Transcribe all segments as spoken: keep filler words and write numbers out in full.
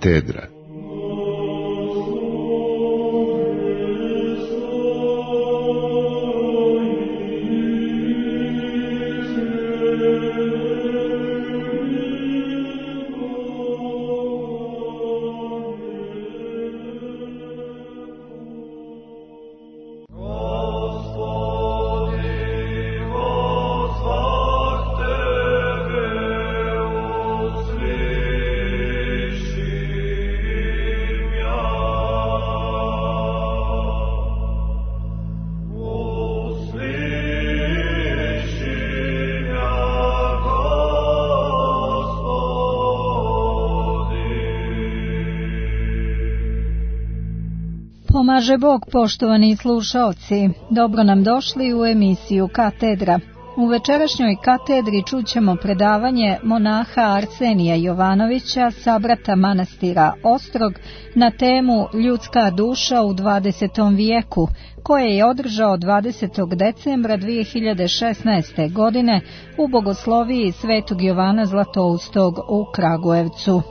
Katedra. Pomaže Bog, poštovani slušaoci, dobro nam došli u emisiju Katedra. U večerašnjoj katedri čućemo predavanje monaha Arsenija Jovanovića, sabrata manastira Ostrog, na temu Ljudska duša u dvadesetom vijeku, koje je održao dvadesetog decembra dvije hiljade šesnaeste. godine u bogosloviji Svetog Jovana Zlatoustog u Kragujevcu.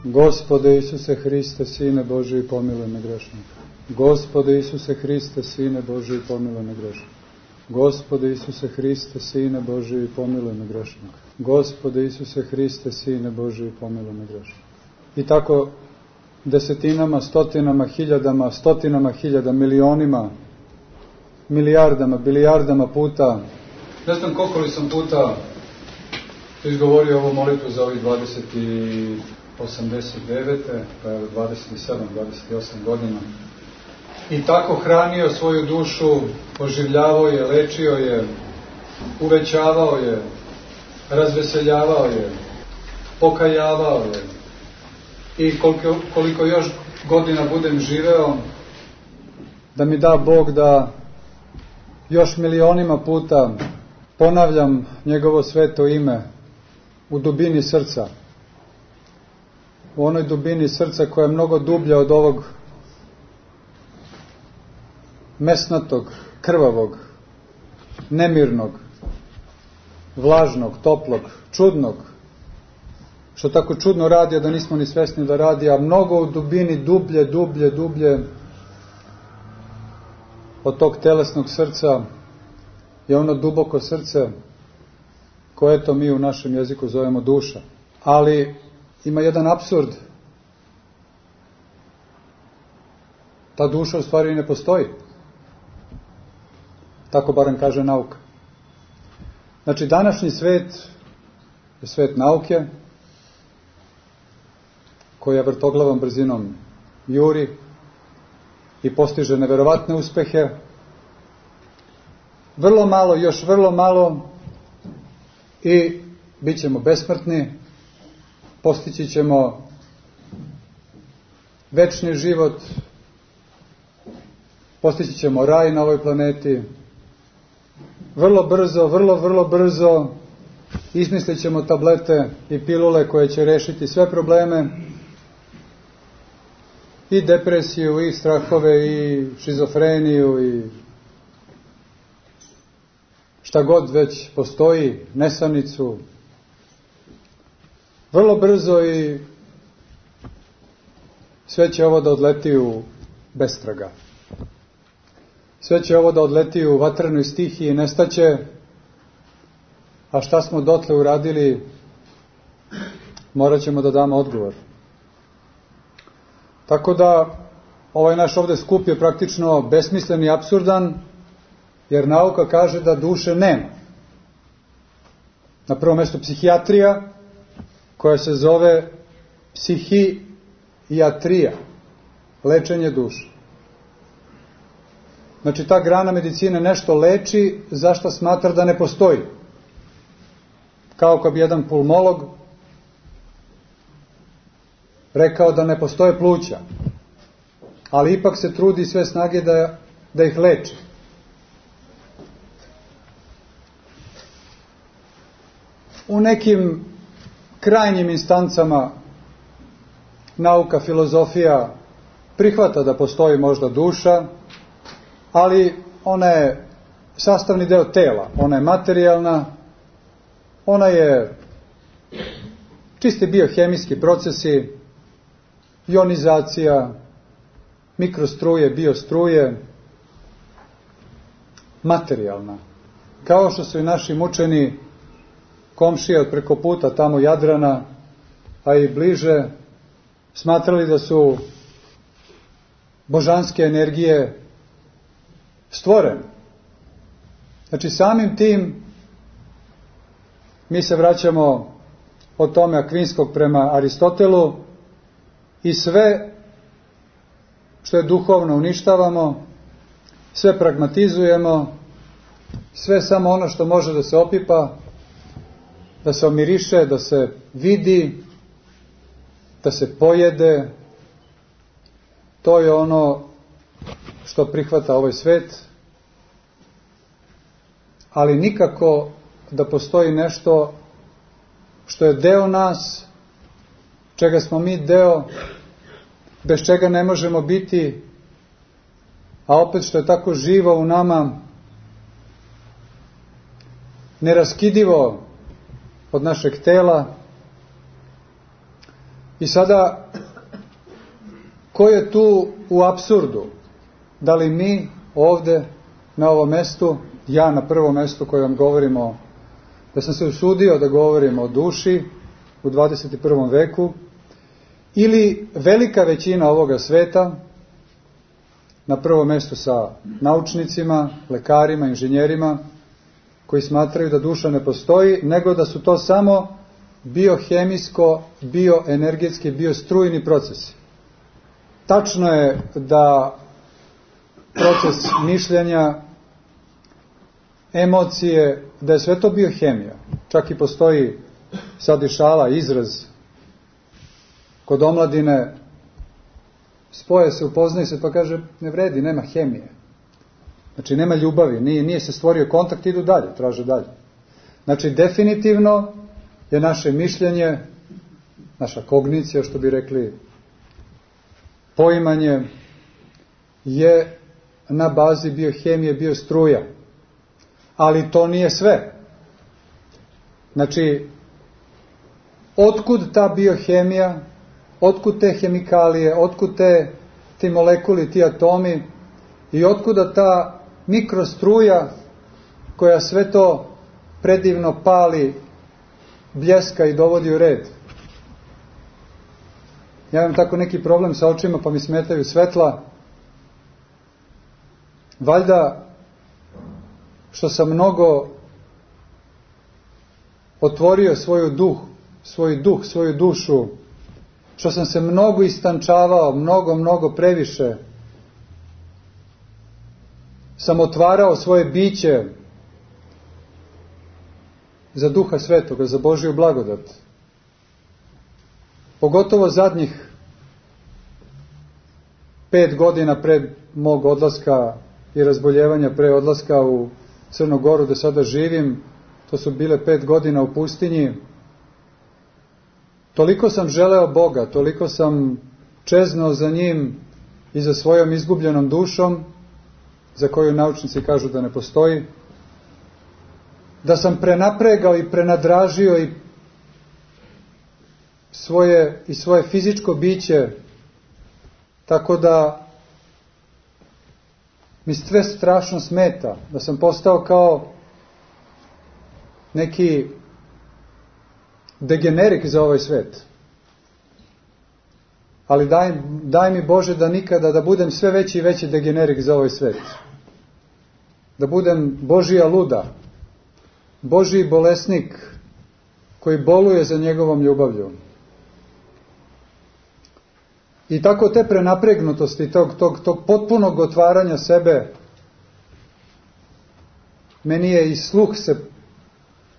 Gospode Isuse Hriste, Sine Božiji, pomiluj me grešnika. Gospode Isuse Hriste, Sine Božiji, pomiluj me grešnika. Gospode Isuse Hriste, Sine Božiji, pomiluj me grešnika. Gospode Isuse Hriste, Sine Božiji, pomiluj me grešnika. I tako desetinama, stotinama, hiljadama, stotinama hiljada, milionima, milijardama, bilijardama puta, ne znam koliko li sam puta izgovorio ovu molitvu za ovih dvadeset osamdeset devete, pa je dvadeset sedam, dvadeset osam godina. I tako hranio svoju dušu, oživljavao je, lečio je, uvećavao je, razveseljavao je, pokajavao je. I koliko, koliko još godina budem živeo, da mi da Bog da još milionima puta ponavljam njegovo sveto ime u dubini srca. U onoj dubini srca koja je mnogo dublja od ovog mesnatog, krvavog, nemirnog, vlažnog, toplog, čudnog, što tako čudno radi, a da nismo ni svesni da radi, a mnogo u dubini, dublje, dublje, dublje od tog telesnog srca je ono duboko srce koje to mi u našem jeziku zovemo duša. Ali ima jedan apsurd. Ta duša u stvari ne postoji. Tako barem kaže nauka. Znači, današnji svet je svet nauke, koja vrtoglavom brzinom juri i postiže neverovatne uspehe. Vrlo malo, još vrlo malo i bit ćemo besmrtni, postići ćemo večni život, postići ćemo raj na ovoj planeti. Vrlo brzo, vrlo, vrlo brzo izmislit ćemo tablete i pilule koje će rešiti sve probleme, i depresiju, i strahove, i šizofreniju, i šta god već postoji, nesanicu. Vrlo brzo i sve će ovo da odleti u bestraga. Sve će ovo da odleti u vatrenoj stihiji i nestaće, a šta smo dotle uradili, morat ćemo da damo odgovor. Tako da ovaj naš ovde skup je praktično besmislen i apsurdan, jer nauka kaže da duše nema. Na prvom mjestu psihijatrija, koja se zove psihijatrija, lečenje duše. Znači, ta grana medicine nešto leči za što smatra da ne postoji. Kao kad bi jedan pulmolog rekao da ne postoje pluća, ali ipak se trudi sve snage da, da ih leči. U nekim krajnjim instancama nauka, filozofija prihvata da postoji možda duša, ali ona je sastavni deo tela, ona je materijalna Ona je čisti biohemijski procesi, ionizacija, mikrostruje, biostruje, materijalna. Kao što su i naši mučeni komšije od preko puta tamo Jadrana, a i bliže, smatrali da su božanske energije stvorene. Znači samim tim mi se vraćamo od tome Akvinskog prema Aristotelu i sve što je duhovno uništavamo, sve pragmatizujemo, sve samo ono što može da se opipa, da se omiriše, da se vidi, da se pojede. To je ono što prihvata ovaj svet, ali nikako da postoji nešto što je deo nas, čega smo mi deo, bez čega ne možemo biti, a opet što je tako živo u nama, neraskidivo od našeg tela. I sada, ko je tu u apsurdu? Da li mi ovde, na ovom mestu, ja na prvom mestu koji vam govorimo, da sam se usudio da govorimo o duši u dvadeset i prvom veku, ili velika većina ovoga sveta, na prvom mestu sa naučnicima, lekarima, inženjerima, koji smatraju da duša ne postoji, nego da su to samo biohemijsko, bioenergetski, biostrujni procesi. Tačno je da proces mišljenja, emocije, da je sve to biohemija. Čak i postoji sad i šala, izraz kod omladine, spoje se, upoznaje se, pa kaže, ne vredi, nema hemije. Znači, nema ljubavi, nije, nije se stvorio kontakt, idu dalje, traže dalje. Znači, definitivno je naše mišljenje, naša kognicija, što bi rekli, poimanje, je na bazi biohemije, biostruja. Ali to nije sve. Znači, otkud ta biohemija, otkud te hemikalije, otkud te, ti molekuli, ti atomi i otkuda ta mikrostruja koja sve to predivno pali, bljeska i dovodi u red. Ja imam tako neki problem sa očima pa mi smetaju svetla. Valjda što sam mnogo otvorio svoju duh, svoj duh, svoju dušu, što sam se mnogo istančavao, mnogo, mnogo previše, sam otvarao svoje biće za Duha Svetoga, za Božju blagodat. Pogotovo zadnjih pet godina pred mog odlaska i razboljevanja pre odlaska u Crnu Goru, gde sada živim, to su bile pet godina u pustinji. Toliko sam želeo Boga, toliko sam čeznuo za njim i za svojom izgubljenom dušom, za koju naučnici kažu da ne postoji, da sam prenapregao i prenadražio i svoje, i svoje fizičko biće, tako da mi sve strašno smeta, da sam postao kao neki degenerik za ovaj svet. Ali daj, daj mi Bože da nikada, da budem sve veći i veći degenerik za ovaj svet. Da budem Božija luda, Božiji bolesnik koji boluje za njegovom ljubavlju. I tako te prenapregnutosti, tog, tog, tog potpunog otvaranja sebe, meni je i sluh se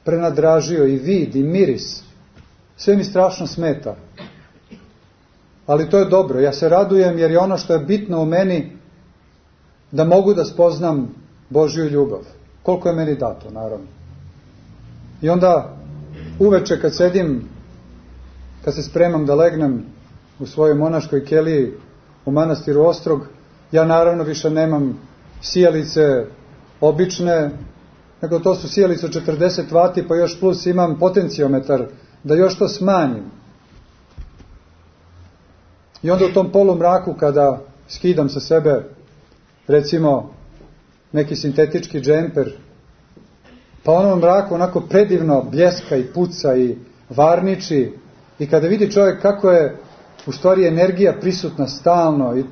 prenadražio, i vid, i miris. Sve mi strašno smeta. Ali to je dobro, ja se radujem jer je ono što je bitno u meni da mogu da spoznam Božju ljubav. Koliko je meni dato, naravno. I onda uveče kad sedim, kad se spremam da legnem u svojoj monaškoj keliji u manastiru Ostrog, ja naravno više nemam sijalice obične, nego to su sijalice od četrdeset vati, pa još plus imam potenciometar, da još to smanjim. I onda u tom polumraku, kada skidam sa sebe, recimo, neki sintetički džemper, pa ono mraku onako predivno bljeska i puca i varniči, i kada vidi čovjek kako je u stvari energija prisutna stalno i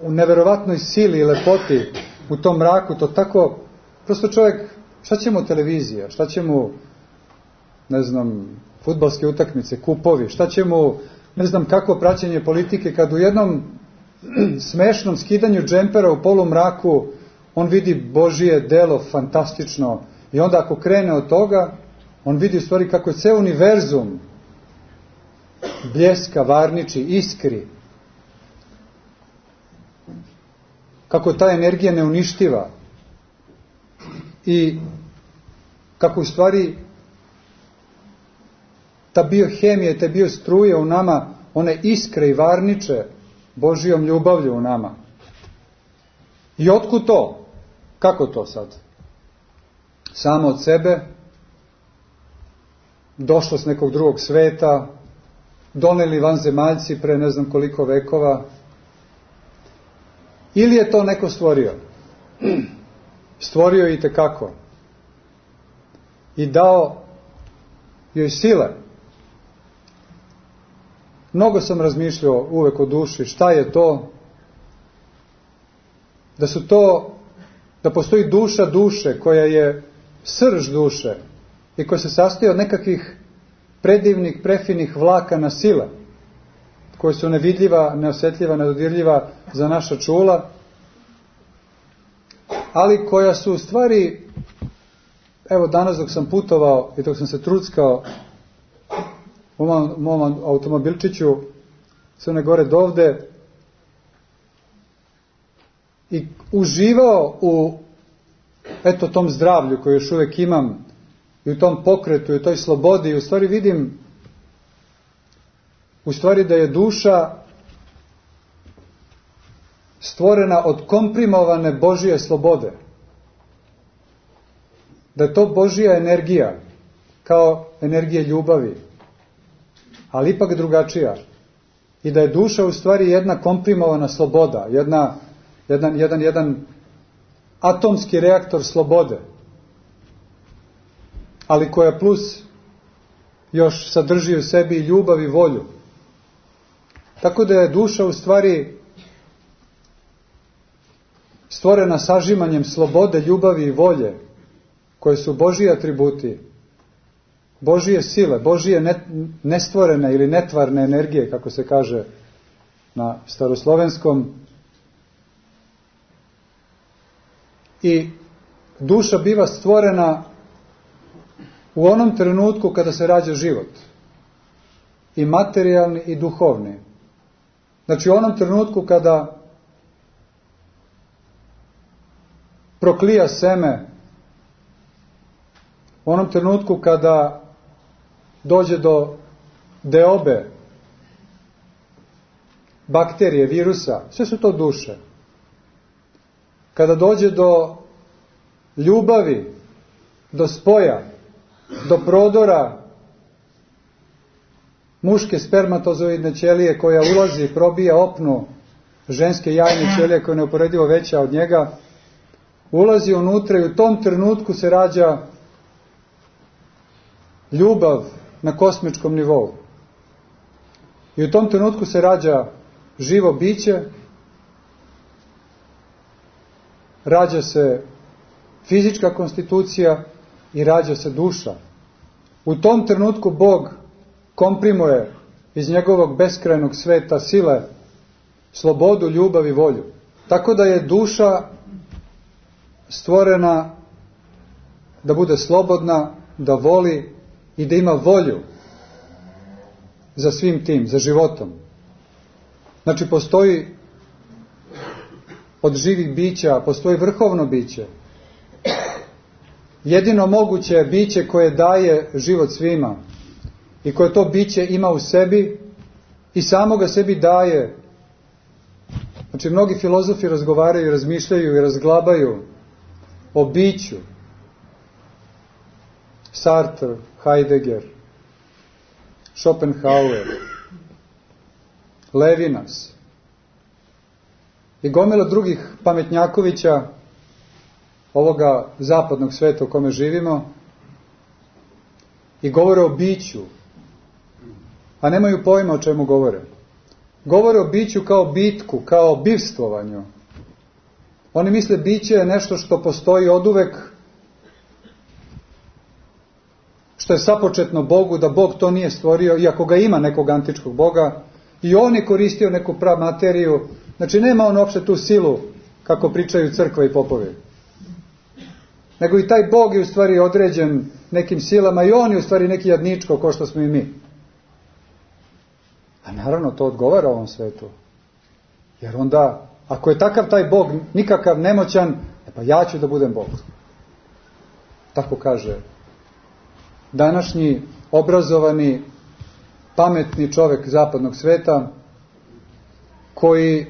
u neverovatnoj sili i lepoti u tom mraku, to tako, prosto čovjek, šta će mu televizija, šta će mu, ne znam, fudbalske utakmice, kupovi, šta će mu, ne znam kako praćenje politike, kad u jednom smešnom skidanju džempera u polumraku on vidi Božije delo fantastično, i onda ako krene od toga, on vidi u stvari kako je ceo univerzum bljeska, varniči, iskri, kako ta energija neuništiva i kako u stvari ta biohemija, te biostruje u nama, one iskre i varniče Božijom ljubavlju u nama. I otkud to? Kako to sad? Samo od sebe, došlo s nekog drugog sveta, doneli vanzemaljci pre ne znam koliko vekova, ili je to neko stvorio? Stvorio je i tekako. I dao joj sile. Mnogo sam razmišljao uvek o duši, šta je to? Da su to, da postoji duša duše, koja je srž duše i koja se sastoji od nekakvih predivnih, prefinih vlakana sile, koje su nevidljiva, neosjetljiva, nedodirljiva za naša čula, ali koja su u stvari, evo danas dok sam putovao i dok sam se truckao u mom, mom automobilčiću Crne Gore dovde i uživao u eto tom zdravlju koje još uvek imam i u tom pokretu i u toj slobodi, i u stvari vidim u stvari da je duša stvorena od komprimovane Božije slobode. Da je to Božija energija, kao energija ljubavi, ali ipak drugačija. I da je duša u stvari jedna komprimovana sloboda, jedna, jedan, jedan, jedan atomski reaktor slobode, ali koja plus još sadrži u sebi i ljubav i volju. Tako da je duša u stvari stvorena sažimanjem slobode, ljubavi i volje, koje su Božji atributi, Božije sile, Božije nestvorene ili netvarne energije, kako se kaže na staroslovenskom. I duša biva stvorena u onom trenutku kada se rađa život, i materijalni i duhovni. Znači u onom trenutku kada proklija seme, u onom trenutku kada dođe do deobe, bakterije, virusa, sve su to duše. Kada dođe do ljubavi, do spoja, do prodora muške spermatozoidne ćelije koja ulazi i probija opnu ženske jajne ćelije koja je neuporedivo veća od njega, ulazi unutra i u tom trenutku se rađa ljubav na kosmičkom nivou. I u tom trenutku se rađa živo biće, rađa se fizička konstitucija i rađa se duša. U tom trenutku Bog komprimuje iz njegovog beskrajnog sveta sile, slobodu, ljubav i volju. Tako da je duša stvorena da bude slobodna, da voli i da ima volju za svim tim, za životom. Znači postoji od živih bića, postoji vrhovno biće. Jedino moguće biće koje daje život svima i koje to biće ima u sebi i samo ga sebi daje. Znači mnogi filozofi razgovaraju i razmišljaju i razglabaju o biću Sartre, Heidegger, Schopenhauer, Levinas i gomila drugih pametnjakovića ovoga zapadnog sveta u kome živimo i govore o biću, a nemaju pojma o čemu govore. Govore o biću kao bitku, kao bivstvovanju. Oni misle biće je nešto što postoji oduvek, što je sapočetno Bogu, da Bog to nije stvorio, iako ga ima nekog antičkog Boga, i on je koristio neku pramateriju. Znači nema on uopšte tu silu, kako pričaju crkva i popovi. Nego i taj Bog je u stvari određen nekim silama i on je u stvari neki jadničko, kao što smo i mi. A naravno to odgovara ovom svetu. Jer onda, ako je takav taj Bog, nikakav nemoćan, e pa ja ću da budem Bog. Tako kaže današnji obrazovani, pametni čovjek zapadnog sveta, koji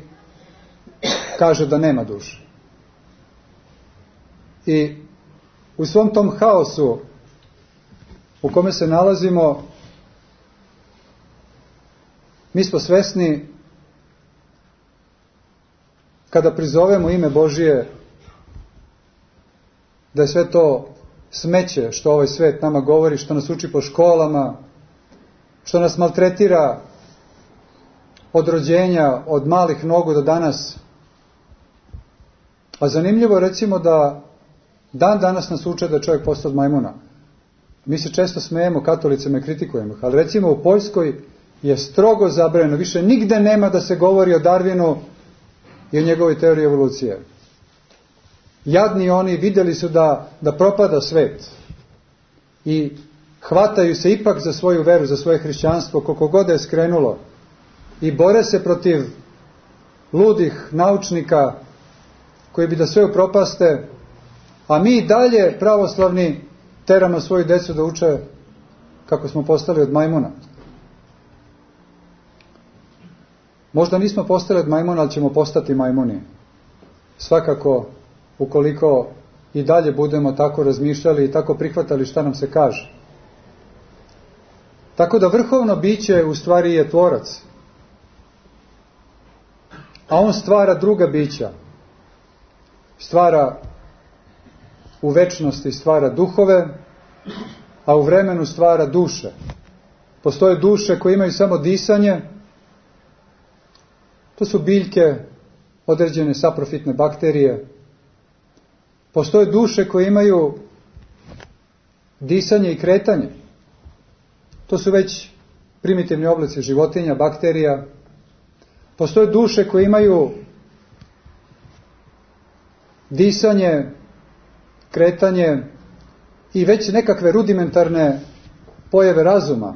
kaže da nema duše. I u svom tom haosu u kome se nalazimo, mi smo svesni, kada prizovemo ime Božije, da je sve to smeće što ovaj svet nama govori, što nas uči po školama, što nas maltretira od rođenja, od malih nogu do danas. A zanimljivo je recimo da dan danas nas uče da je čovjek postao od majmuna. Mi se često smejemo, katolicima i kritikujemo, ali recimo u Poljskoj je strogo zabranjeno, više nigde nema da se govori o Darwinu i o njegovoj teoriji evolucije. Jadni oni vidjeli su da, da propada svet i hvataju se ipak za svoju veru, za svoje hrišćanstvo, koliko god je skrenulo, i bore se protiv ludih naučnika koji bi da sve upropaste, a mi dalje pravoslavni teramo svoju decu da uče kako smo postali od majmuna. Možda nismo postali od majmuna, ali ćemo postati majmuni. Svakako, ukoliko i dalje budemo tako razmišljali i tako prihvatali šta nam se kaže. Tako da vrhovno biće u stvari je tvorac. A on stvara druga bića. Stvara u večnosti stvara duhove, a u vremenu stvara duše. Postoje duše koje imaju samo disanje. To su biljke, određene saprofitne bakterije. Postoje duše koje imaju disanje i kretanje. To su već primitivni oblici životinja, bakterija. Postoje duše koje imaju disanje, kretanje i već nekakve rudimentarne pojave razuma,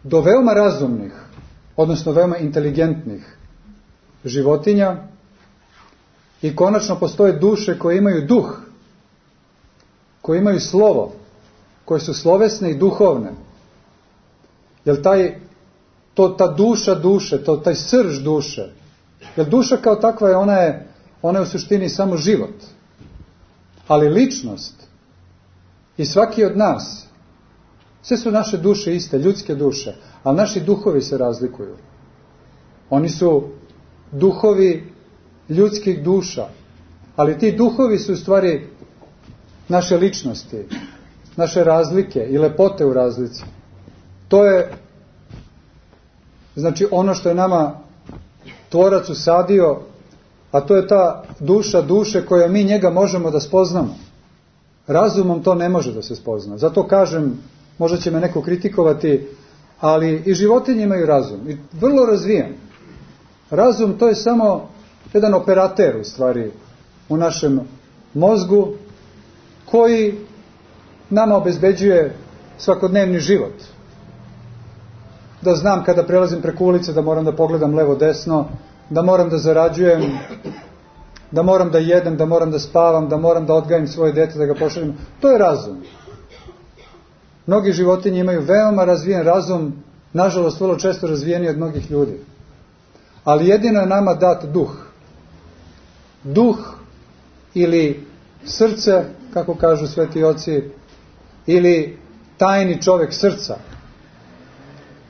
do veoma razumnih, odnosno veoma inteligentnih životinja. I konačno postoje duše koje imaju duh, koje imaju slovo, koje su slovesne i duhovne. Jer taj, to, ta duša duše, to, taj srž duše, jer duša kao takva je, ona je, ona je u suštini samo život. Ali ličnost i svaki od nas, sve su naše duše iste, ljudske duše, ali naši duhovi se razlikuju. Oni su duhovi ljudskih duša, ali ti duhovi su u stvari naše ličnosti, naše razlike i lepote u razlici. To je znači ono što je nama tvorac usadio, a to je ta duša duše koja mi njega možemo da spoznamo. Razumom to ne može da se spozna. Zato kažem, možda će me neko kritikovati, ali i životinje imaju razum. I vrlo razvijen. Razum to je samo jedan operater u stvari u našem mozgu koji nama obezbeđuje svakodnevni život. Da znam kada prelazim preko ulice da moram da pogledam levo desno, da moram da zarađujem, da moram da jedem, da moram da spavam, da moram da odgajim svoje dete, da ga pošaljem. To je razum. Mnogi životinje imaju veoma razvijen razum, nažalost vrlo često razvijeniji od mnogih ljudi. Ali jedino je nama dat duh. Duh ili srce, kako kažu sveti oci, ili tajni čovjek srca.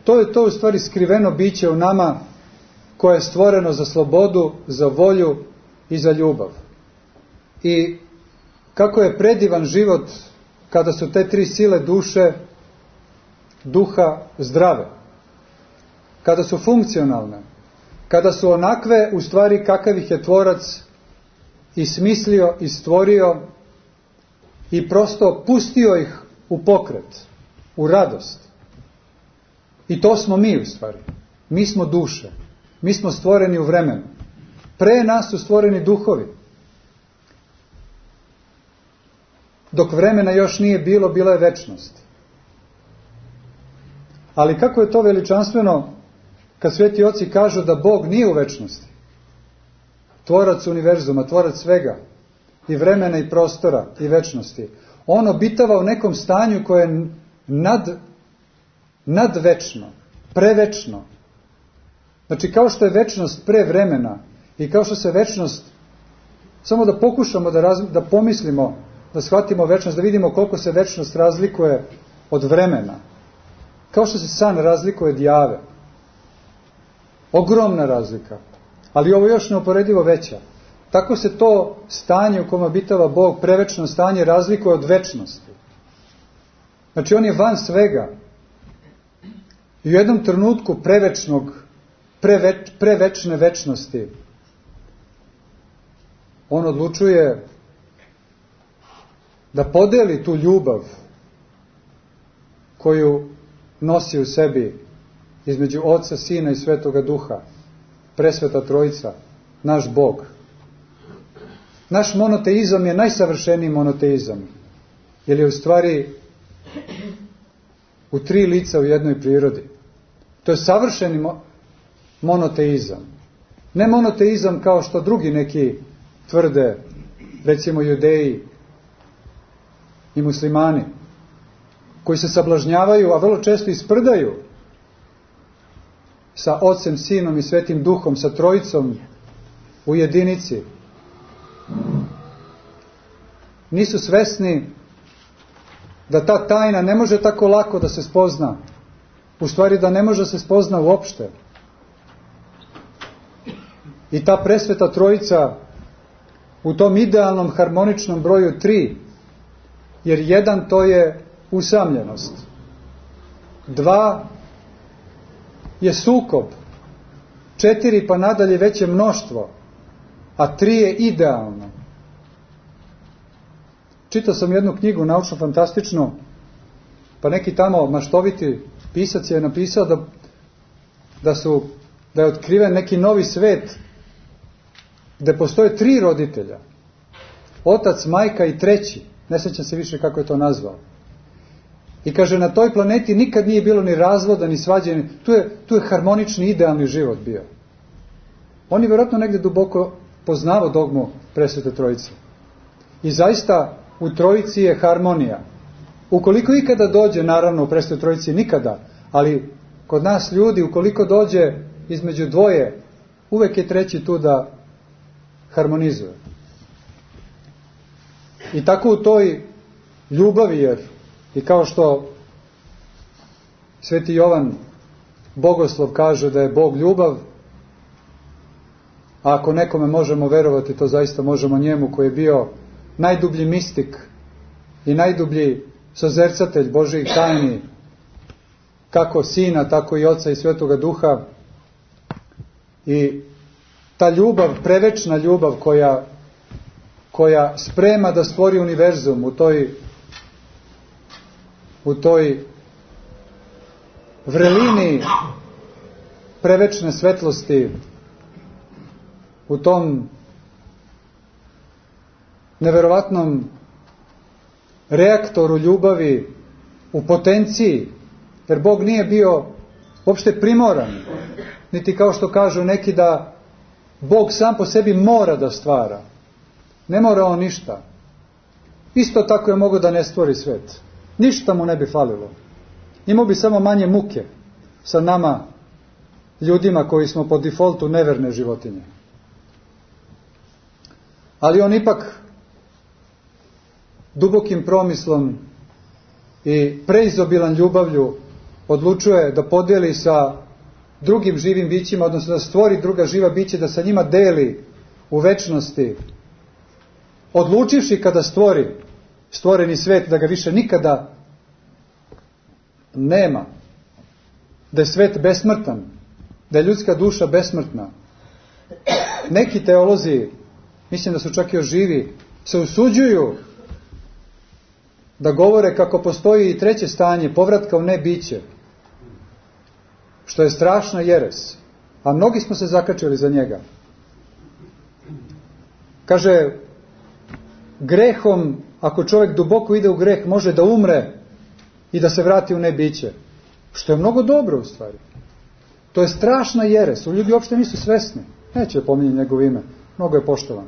To je to u stvari skriveno biće u nama koje je stvoreno za slobodu, za volju i za ljubav. I kako je predivan život kada su te tri sile duše, duha zdrave, kada su funkcionalne, kada su onakve u stvari kakav ih je tvorac i smislio i stvorio i prosto pustio ih u pokret, u radost. I to smo mi u stvari. Mi smo duše. Mi smo stvoreni u vremenu. Pre nas su stvoreni duhovi. Dok vremena još nije bilo, bila je večnost. Ali kako je to veličanstveno kad sveti oci kažu da Bog nije u večnosti. Tvorac univerzuma, tvorac svega, i vremena i prostora i večnosti. On obitava u nekom stanju koje je nad, nadvečno, prevečno. Znači kao što je večnost pre vremena i kao što se večnost, samo da pokušamo da, raz, da pomislimo, da shvatimo večnost, da vidimo koliko se večnost razlikuje od vremena. Kao što se san razlikuje od jave. Ogromna razlika. Ali ovo još neuporedivo veća. Tako se to stanje u kome obitava Bog, prevečno stanje, razlikuje od večnosti. Znači on je van svega. I u jednom trenutku prevečnog, preveč, prevečne večnosti on odlučuje da podeli tu ljubav koju nosi u sebi između Oca, Sina i Svetoga Duha, presveta Trojica, naš Bog. Naš monoteizam je najsavršeniji monoteizam, jer je u stvari u tri lica u jednoj prirodi. To je savršeni monoteizam. Ne monoteizam kao što drugi neki tvrde, recimo Judeji i muslimani, koji se sablažnjavaju, a vrlo često isprdaju sa Ocem, Sinom i Svetim Duhom, sa Trojicom u jedinici. Nisu svesni da ta tajna ne može tako lako da se spozna. U stvari da ne može se spozna uopšte. I ta presveta Trojica u tom idealnom harmoničnom broju tri, jer jedan to je usamljenost. Dva je sukob. Četiri pa nadalje veće mnoštvo. A tri je idealno. Čitao sam jednu knjigu naučno fantastičnu, pa neki tamo maštoviti pisac je napisao da, da, su, da je otkriven neki novi svet gde postoje tri roditelja. Otac, majka i treći. Ne sjećam se više kako je to nazvao. I kaže, na toj planeti nikad nije bilo ni razvoda, ni svađe. Tu je, tu je harmonični, idealni život bio. On je vjerojatno negdje duboko poznavao dogmu Presvete Trojice. I zaista u Trojici je harmonija. Ukoliko ikada dođe, naravno u Presvetoj Trojici nikada, ali kod nas ljudi, ukoliko dođe između dvoje, uvek je treći tu da harmonizuje. I tako u toj ljubavi, jer i kao što Sveti Jovan Bogoslov kaže da je Bog ljubav, a ako nekome možemo verovati, to zaista možemo njemu, koji je bio najdublji mistik i najdublji sozercatelj Božjih tajni, kako Sina, tako i Oca i Svetoga Duha. I ta ljubav, prevečna ljubav koja, koja sprema da stvori univerzum u toj, u toj vrelini prevečne svetlosti, u tom neverovatnom reaktoru ljubavi, u potenciji, jer Bog nije bio uopšte primoran, niti kao što kažu neki da Bog sam po sebi mora da stvara. Ne mora on ništa. Isto tako je mogao da ne stvori svet. Ništa mu ne bi falilo. Imao bi samo manje muke sa nama, ljudima koji smo po defaultu neverne životinje. Ali on ipak dubokim promislom i preizobilan ljubavlju odlučuje da podijeli sa drugim živim bićima, odnosno da stvori druga živa bića, da sa njima deli u večnosti, odlučivši kada stvori stvoreni svet da ga više nikada nema, da je svet besmrtan, da je ljudska duša besmrtna. Neki teolozi, mislim da su čak još živi, se usuđuju da govore kako postoji i treće stanje, povratka u nebiće, što je strašna jeres, a mnogi smo se zakačili za njega. Kaže, grehom, ako čovjek duboko ide u greh, može da umre i da se vrati u nebiće, što je mnogo dobro u stvari. To je strašna jeres, u ljudi uopšte nisu svesni, neće pominjati njegovo ime, mnogo je poštovan.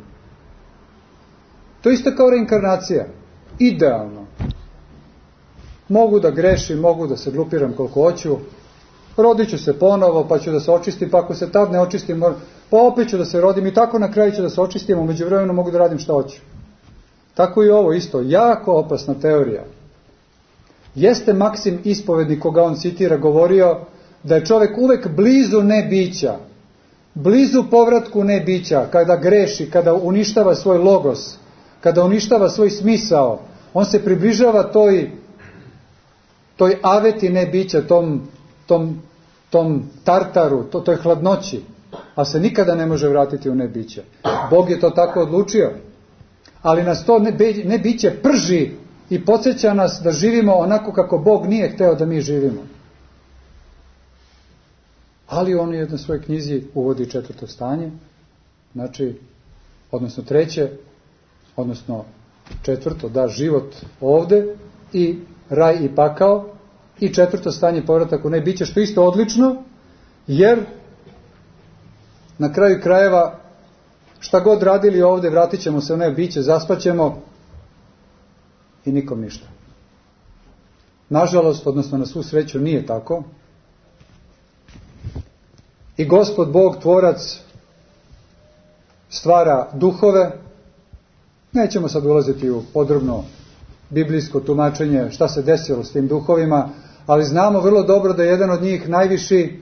To je isto kao reinkarnacija, idealno. Mogu da grešim, mogu da se glupiram koliko hoću, rodit ću se ponovo, pa ću da se očistim, pa ako se tad ne očistim, pa opet ću da se rodim i tako na kraju ću da se očistim, u međuvremenu mogu da radim šta hoću. Tako i ovo isto, jako opasna teorija. Jeste Maksim Ispovednik, koga on citira, govorio da je čovjek uvek blizu nebića, blizu povratku nebića, kada greši, kada uništava svoj logos, kada uništava svoj smisao, on se približava toj, toj aveti nebića, tom, tom, tom tartaru, to, toj hladnoći, a se nikada ne može vratiti u nebiće. Bog je to tako odlučio, ali nas to nebiće prži i podsjeća nas da živimo onako kako Bog nije hteo da mi živimo. Ali on u jednoj svojoj knjizi uvodi četvrto stanje, znači, odnosno treće, odnosno četvrto, da, život ovde i raj i pakao, i četvrto stanje, povratak u nebiće, što isto odlično, jer na kraju krajeva šta god radili ovde, vratit ćemo se u nebiće, zaspaćemo i nikom ništa. Nažalost, odnosno na svu sreću, nije tako. I Gospod Bog, tvorac, stvara duhove. Nećemo sad ulaziti u podrobno biblijsko tumačenje šta se desilo s tim duhovima, ali znamo vrlo dobro da je jedan od njih najviši,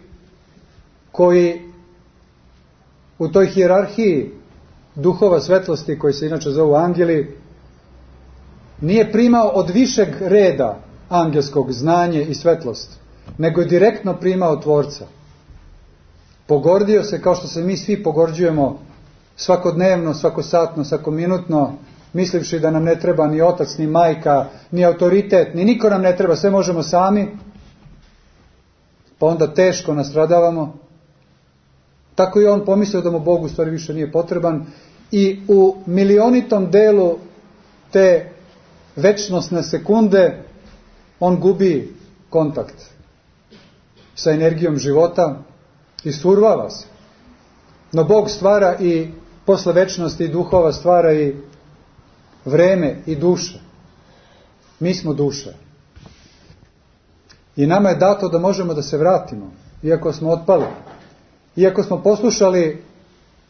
koji u toj hijerarhiji duhova svetlosti, koji se inače zovu angeli, nije primao od višeg reda angelskog znanje i svetlost, nego je direktno primao tvorca. Pogordio se kao što se mi svi pogorđujemo svakodnevno, svakosatno, svakominutno, mislivši da nam ne treba ni otac, ni majka, ni autoritet, ni niko nam ne treba, sve možemo sami, pa onda teško nastradavamo. Tako je on pomislio da mu Bog u stvari više nije potreban i u milionitom delu te večnosne sekunde on gubi kontakt sa energijom života i survava se. No Bog stvara i posle večnosti i duhova stvara i vreme i duše. Mi smo duše. I nama je dato da možemo da se vratimo, iako smo otpali. Iako smo poslušali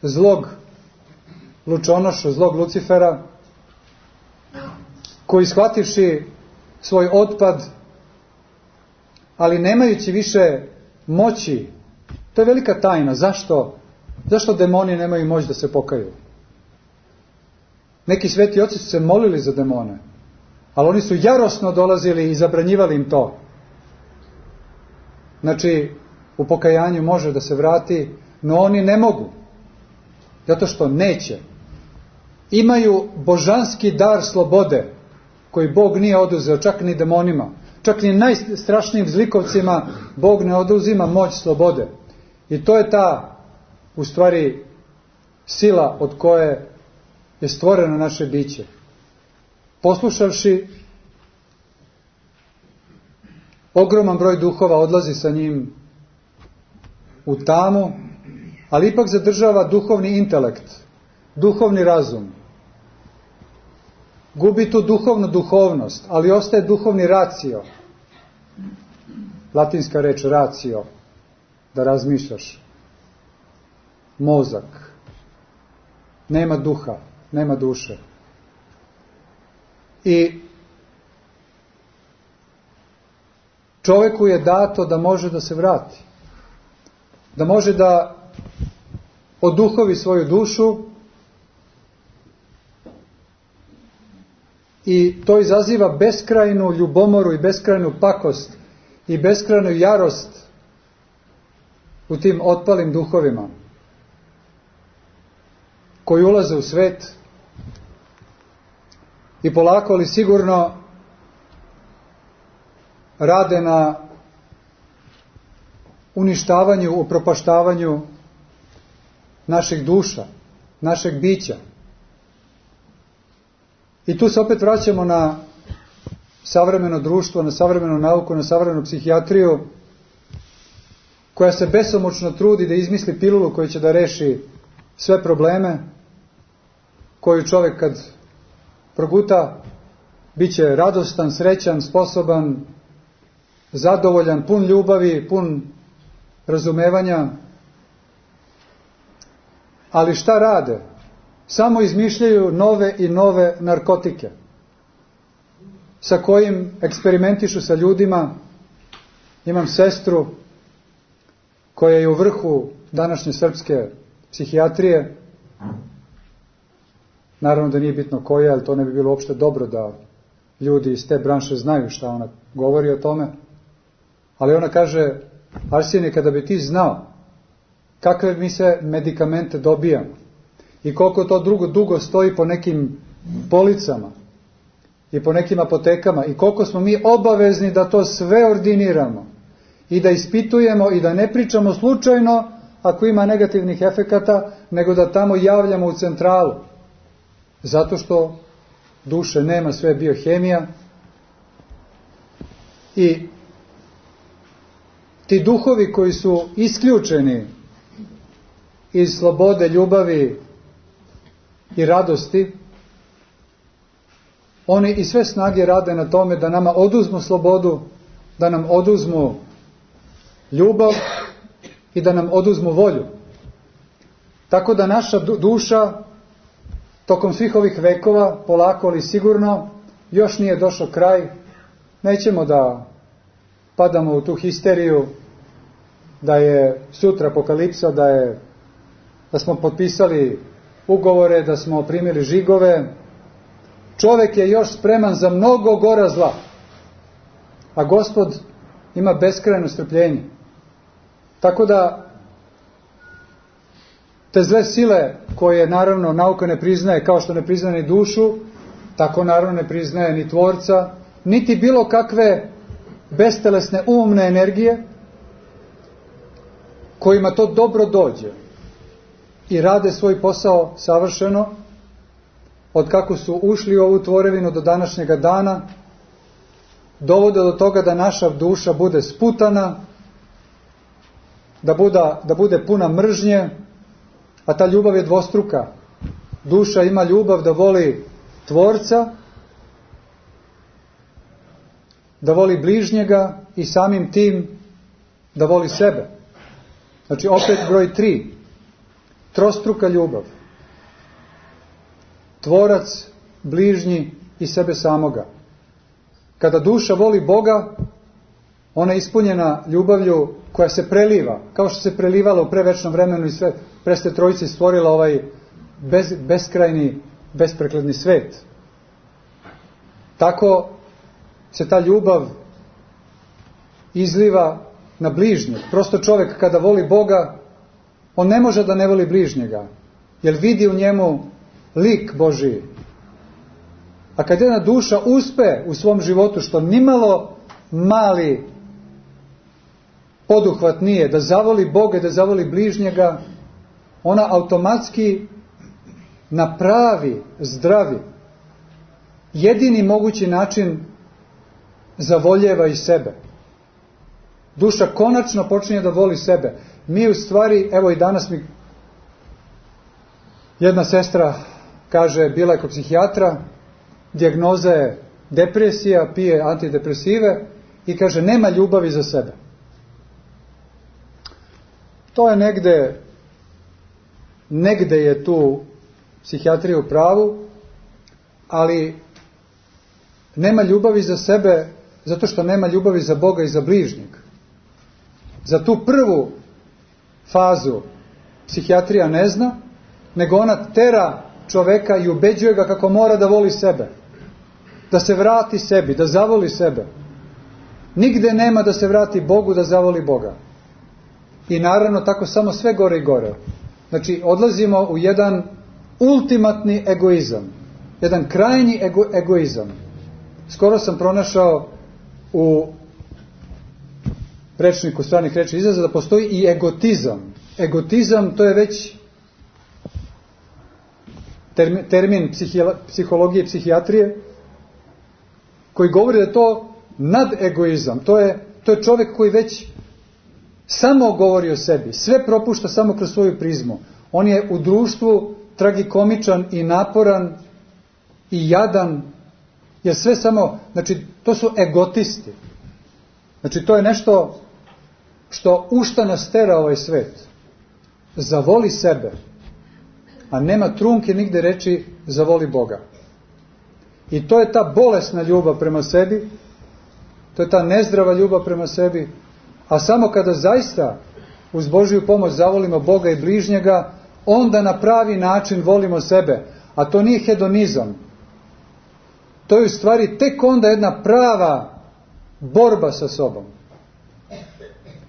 zlog lučonoša, zlog Lucifera, koji shvativši svoj otpad, ali nemajući više moći, to je velika tajna. Zašto? Zašto demoni nemaju moć da se pokaju? Neki sveti oci su se molili za demone, ali oni su jarosno dolazili i zabranjivali im to. Znači, u pokajanju može da se vrati, no oni ne mogu, zato što neće. Imaju božanski dar slobode, koji Bog nije oduzeo, čak ni demonima, čak ni najstrašnijim zlikovcima Bog ne oduzima moć slobode. I to je ta, u stvari, sila od koje je stvoreno naše biće. Poslušavši, ogroman broj duhova odlazi sa njim u tamu, ali ipak zadržava duhovni intelekt, duhovni razum. Gubi tu duhovnu duhovnost, ali ostaje duhovni racio. Latinska reč racio, da razmišljaš. Mozak. Nema duha, nema duše. I čoveku je dato da može da se vrati. Da može da oduhovi svoju dušu i to izaziva beskrajnu ljubomoru i beskrajnu pakost i beskrajnu jarost u tim otpalim duhovima koji ulaze u svet i polako ali sigurno rade na uništavanju, upropaštavanju naših duša, našeg bića. I tu se opet vraćamo na savremeno društvo, na savremenu nauku, na savremenu psihijatriju, koja se besomučno trudi da izmisli pilulu koja će da reši sve probleme, koju čovjek kad proguta, bit će radostan, srećan, sposoban, zadovoljan, pun ljubavi, pun razumevanja. Ali šta rade? Samo izmišljaju nove i nove narkotike sa kojim eksperimentišu sa ljudima. Imam sestru koja je u vrhu današnje srpske psihijatrije. Naravno da nije bitno koja, ali to ne bi bilo uopšte dobro da ljudi iz te branše znaju šta ona govori o tome. Ali ona kaže, Arsenije, kada bi ti znao kakve mi se medikamente dobijamo i koliko to drugo dugo stoji po nekim policama i po nekim apotekama i koliko smo mi obavezni da to sve ordiniramo i da ispitujemo i da ne pričamo slučajno ako ima negativnih efekata, nego da tamo javljamo u centralu. Zato što duše nema, sve je biohemija i ti duhovi koji su isključeni iz slobode, ljubavi i radosti, oni i sve snage rade na tome da nama oduzmu slobodu, da nam oduzmu ljubav i da nam oduzmu volju. Tako da naša duša tokom svih ovih vekova, polako ali sigurno, još nije došao kraj. Nećemo da padamo u tu histeriju da je sutra apokalipsa, da je da smo potpisali ugovore, da smo primili žigove. Čovjek je još spreman za mnogo gora zla, a Gospod ima beskrajno strpljenje. Tako da te zle sile koje naravno nauka ne priznaje, kao što ne priznaje ni dušu, tako naravno ne priznaje ni Tvorca, niti bilo kakve bestelesne umne energije kojima to dobro dođe i rade svoj posao savršeno, od kako su ušli u ovu tvorevinu do današnjega dana, dovode do toga da naša duša bude sputana, da, buda, da bude puna mržnje, a ta ljubav je dvostruka. Duša ima ljubav da voli Tvorca, da voli bližnjega i samim tim da voli sebe. Znači opet broj tri. Trostruka ljubav. Tvorac, bližnji i sebe samoga. Kada duša voli Boga, ona je ispunjena ljubavlju koja se preliva, kao što se prelivala u prevečnom vremenu i sve preste trojice stvorila ovaj bez, beskrajni, besprekladni svet. Tako se ta ljubav izliva na bližnjeg. Prosto čovjek kada voli Boga, on ne može da ne voli bližnjega, jer vidi u njemu lik Božiji. A kad jedna duša uspe u svom životu, što nimalo mali poduhvat nije, da zavoli Boga i da zavoli bližnjega, ona automatski na pravi, zdravi, jedini mogući način zavoljeva i sebe. Duša konačno počinje da voli sebe. Mi u stvari, evo i danas mi jedna sestra kaže, bila je kod psihijatra, dijagnoza je depresija, pije antidepresive i kaže, nema ljubavi za sebe. To je negde, negde je tu psihijatrija u pravu, ali nema ljubavi za sebe Zato što nema ljubavi za Boga i za bližnjeg. Za tu prvu fazu psihijatrija ne zna, nego ona tera čoveka i ubeđuje ga kako mora da voli sebe. Da se vrati sebi, da zavoli sebe. Nigde nema da se vrati Bogu, da zavoli Boga. I naravno tako samo sve gore i gore. Znači odlazimo u jedan ultimatni egoizam. Jedan krajnji ego, egoizam. Skoro sam pronašao u rečniku stranih reči izraza da postoji i egotizam. Egotizam to je već termin, termin psihologije i psihijatrije koji govori da je to nadegoizam. To je, to je čovjek koji već samo govori o sebi. Sve propušta samo kroz svoju prizmu. On je u društvu tragikomičan i naporan i jadan. Jer sve samo, znači to su egotisti. Znači to je nešto što u šta nas tera ovaj svet. Zavoli sebe. A nema trunke nigde reći zavoli Boga. I to je ta bolesna ljubav prema sebi. To je ta nezdrava ljubav prema sebi. A samo kada zaista uz Božju pomoć zavolimo Boga i bližnjega, onda na pravi način volimo sebe. A to nije hedonizam. To je u stvari tek onda jedna prava borba sa sobom.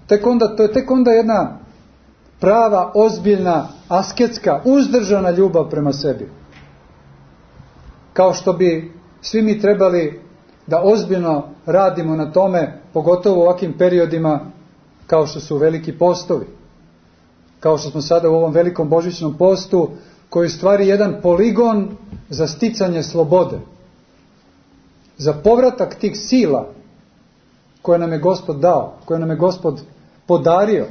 Tek onda, to je tek onda jedna prava, ozbiljna, asketska, uzdržana ljubav prema sebi. Kao što bi svi mi trebali da ozbiljno radimo na tome, pogotovo u ovakvim periodima kao što su veliki postovi. Kao što smo sada u ovom velikom božićnom postu, koji je u stvari jedan poligon za sticanje slobode. Za povratak tih sila koje nam je Gospod dao, koje nam je Gospod podario.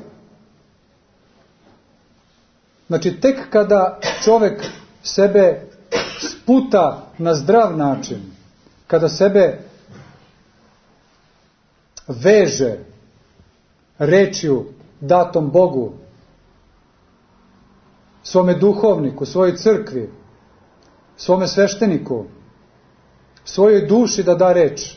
Znači, tek kada čovjek sebe sputa na zdrav način, kada sebe veže rečju datom Bogu, svome duhovniku, svojoj crkvi, svome svešteniku, svojoj duši da da reč,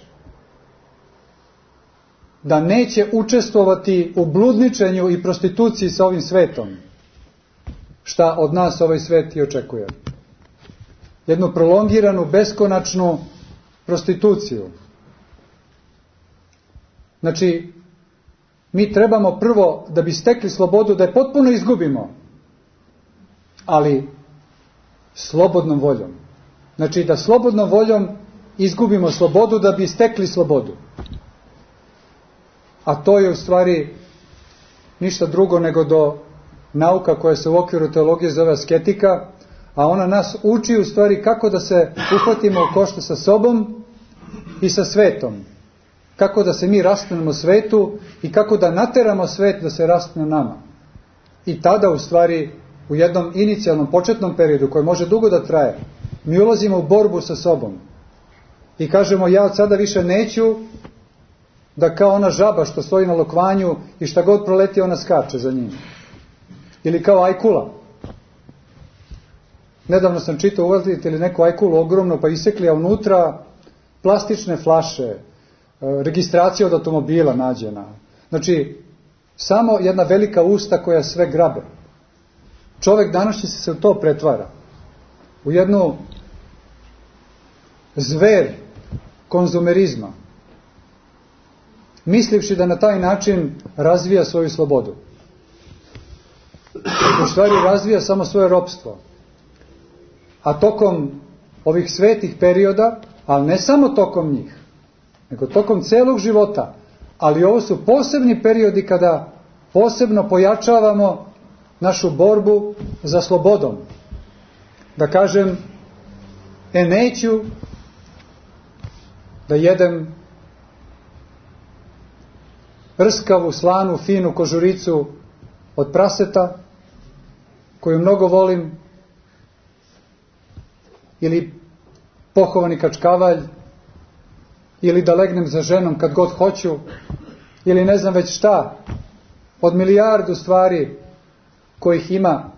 da neće učestvovati u bludničenju i prostituciji sa ovim svetom, šta od nas ovaj svet i očekuje. Jednu prolongiranu, beskonačnu prostituciju. Znači, mi trebamo prvo, da bi stekli slobodu, da je potpuno izgubimo, ali slobodnom voljom. Znači, da slobodnom voljom izgubimo slobodu da bi stekli slobodu. A to je u stvari ništa drugo nego do nauka koja se u okviru teologije zove asketika, a ona nas uči u stvari kako da se uhvatimo u koštac sa sobom i sa svetom. Kako da se mi rastinemo svetu i kako da nateramo svet da se rastine nama. I tada u stvari u jednom inicijalnom početnom periodu koji može dugo da traje, mi ulazimo u borbu sa sobom. I kažemo, ja od sada više neću da kao ona žaba što stoji na lokvanju i šta god proleti ona skače za njim. Ili kao ajkula. Nedavno sam čitao, uvatite li neku ajkulu ogromno, pa isekli, a unutra plastične flaše, registracija od automobila nađena. Znači, samo jedna velika usta koja sve grabe. Čovjek danas će se u to pretvara. U jednu zver konzumerizma. Mislivši da na taj način razvija svoju slobodu. U stvari razvija samo svoje ropstvo. A tokom ovih svetih perioda, ali ne samo tokom njih, nego tokom celog života, ali ovo su posebni periodi kada posebno pojačavamo našu borbu za slobodom. Da kažem, e neću da jedem rskavu, slanu, finu kožuricu od praseta, koju mnogo volim, ili pohovani kačkavalj, ili da legnem za ženom kad god hoću, ili ne znam već šta, od milijardu stvari kojih ima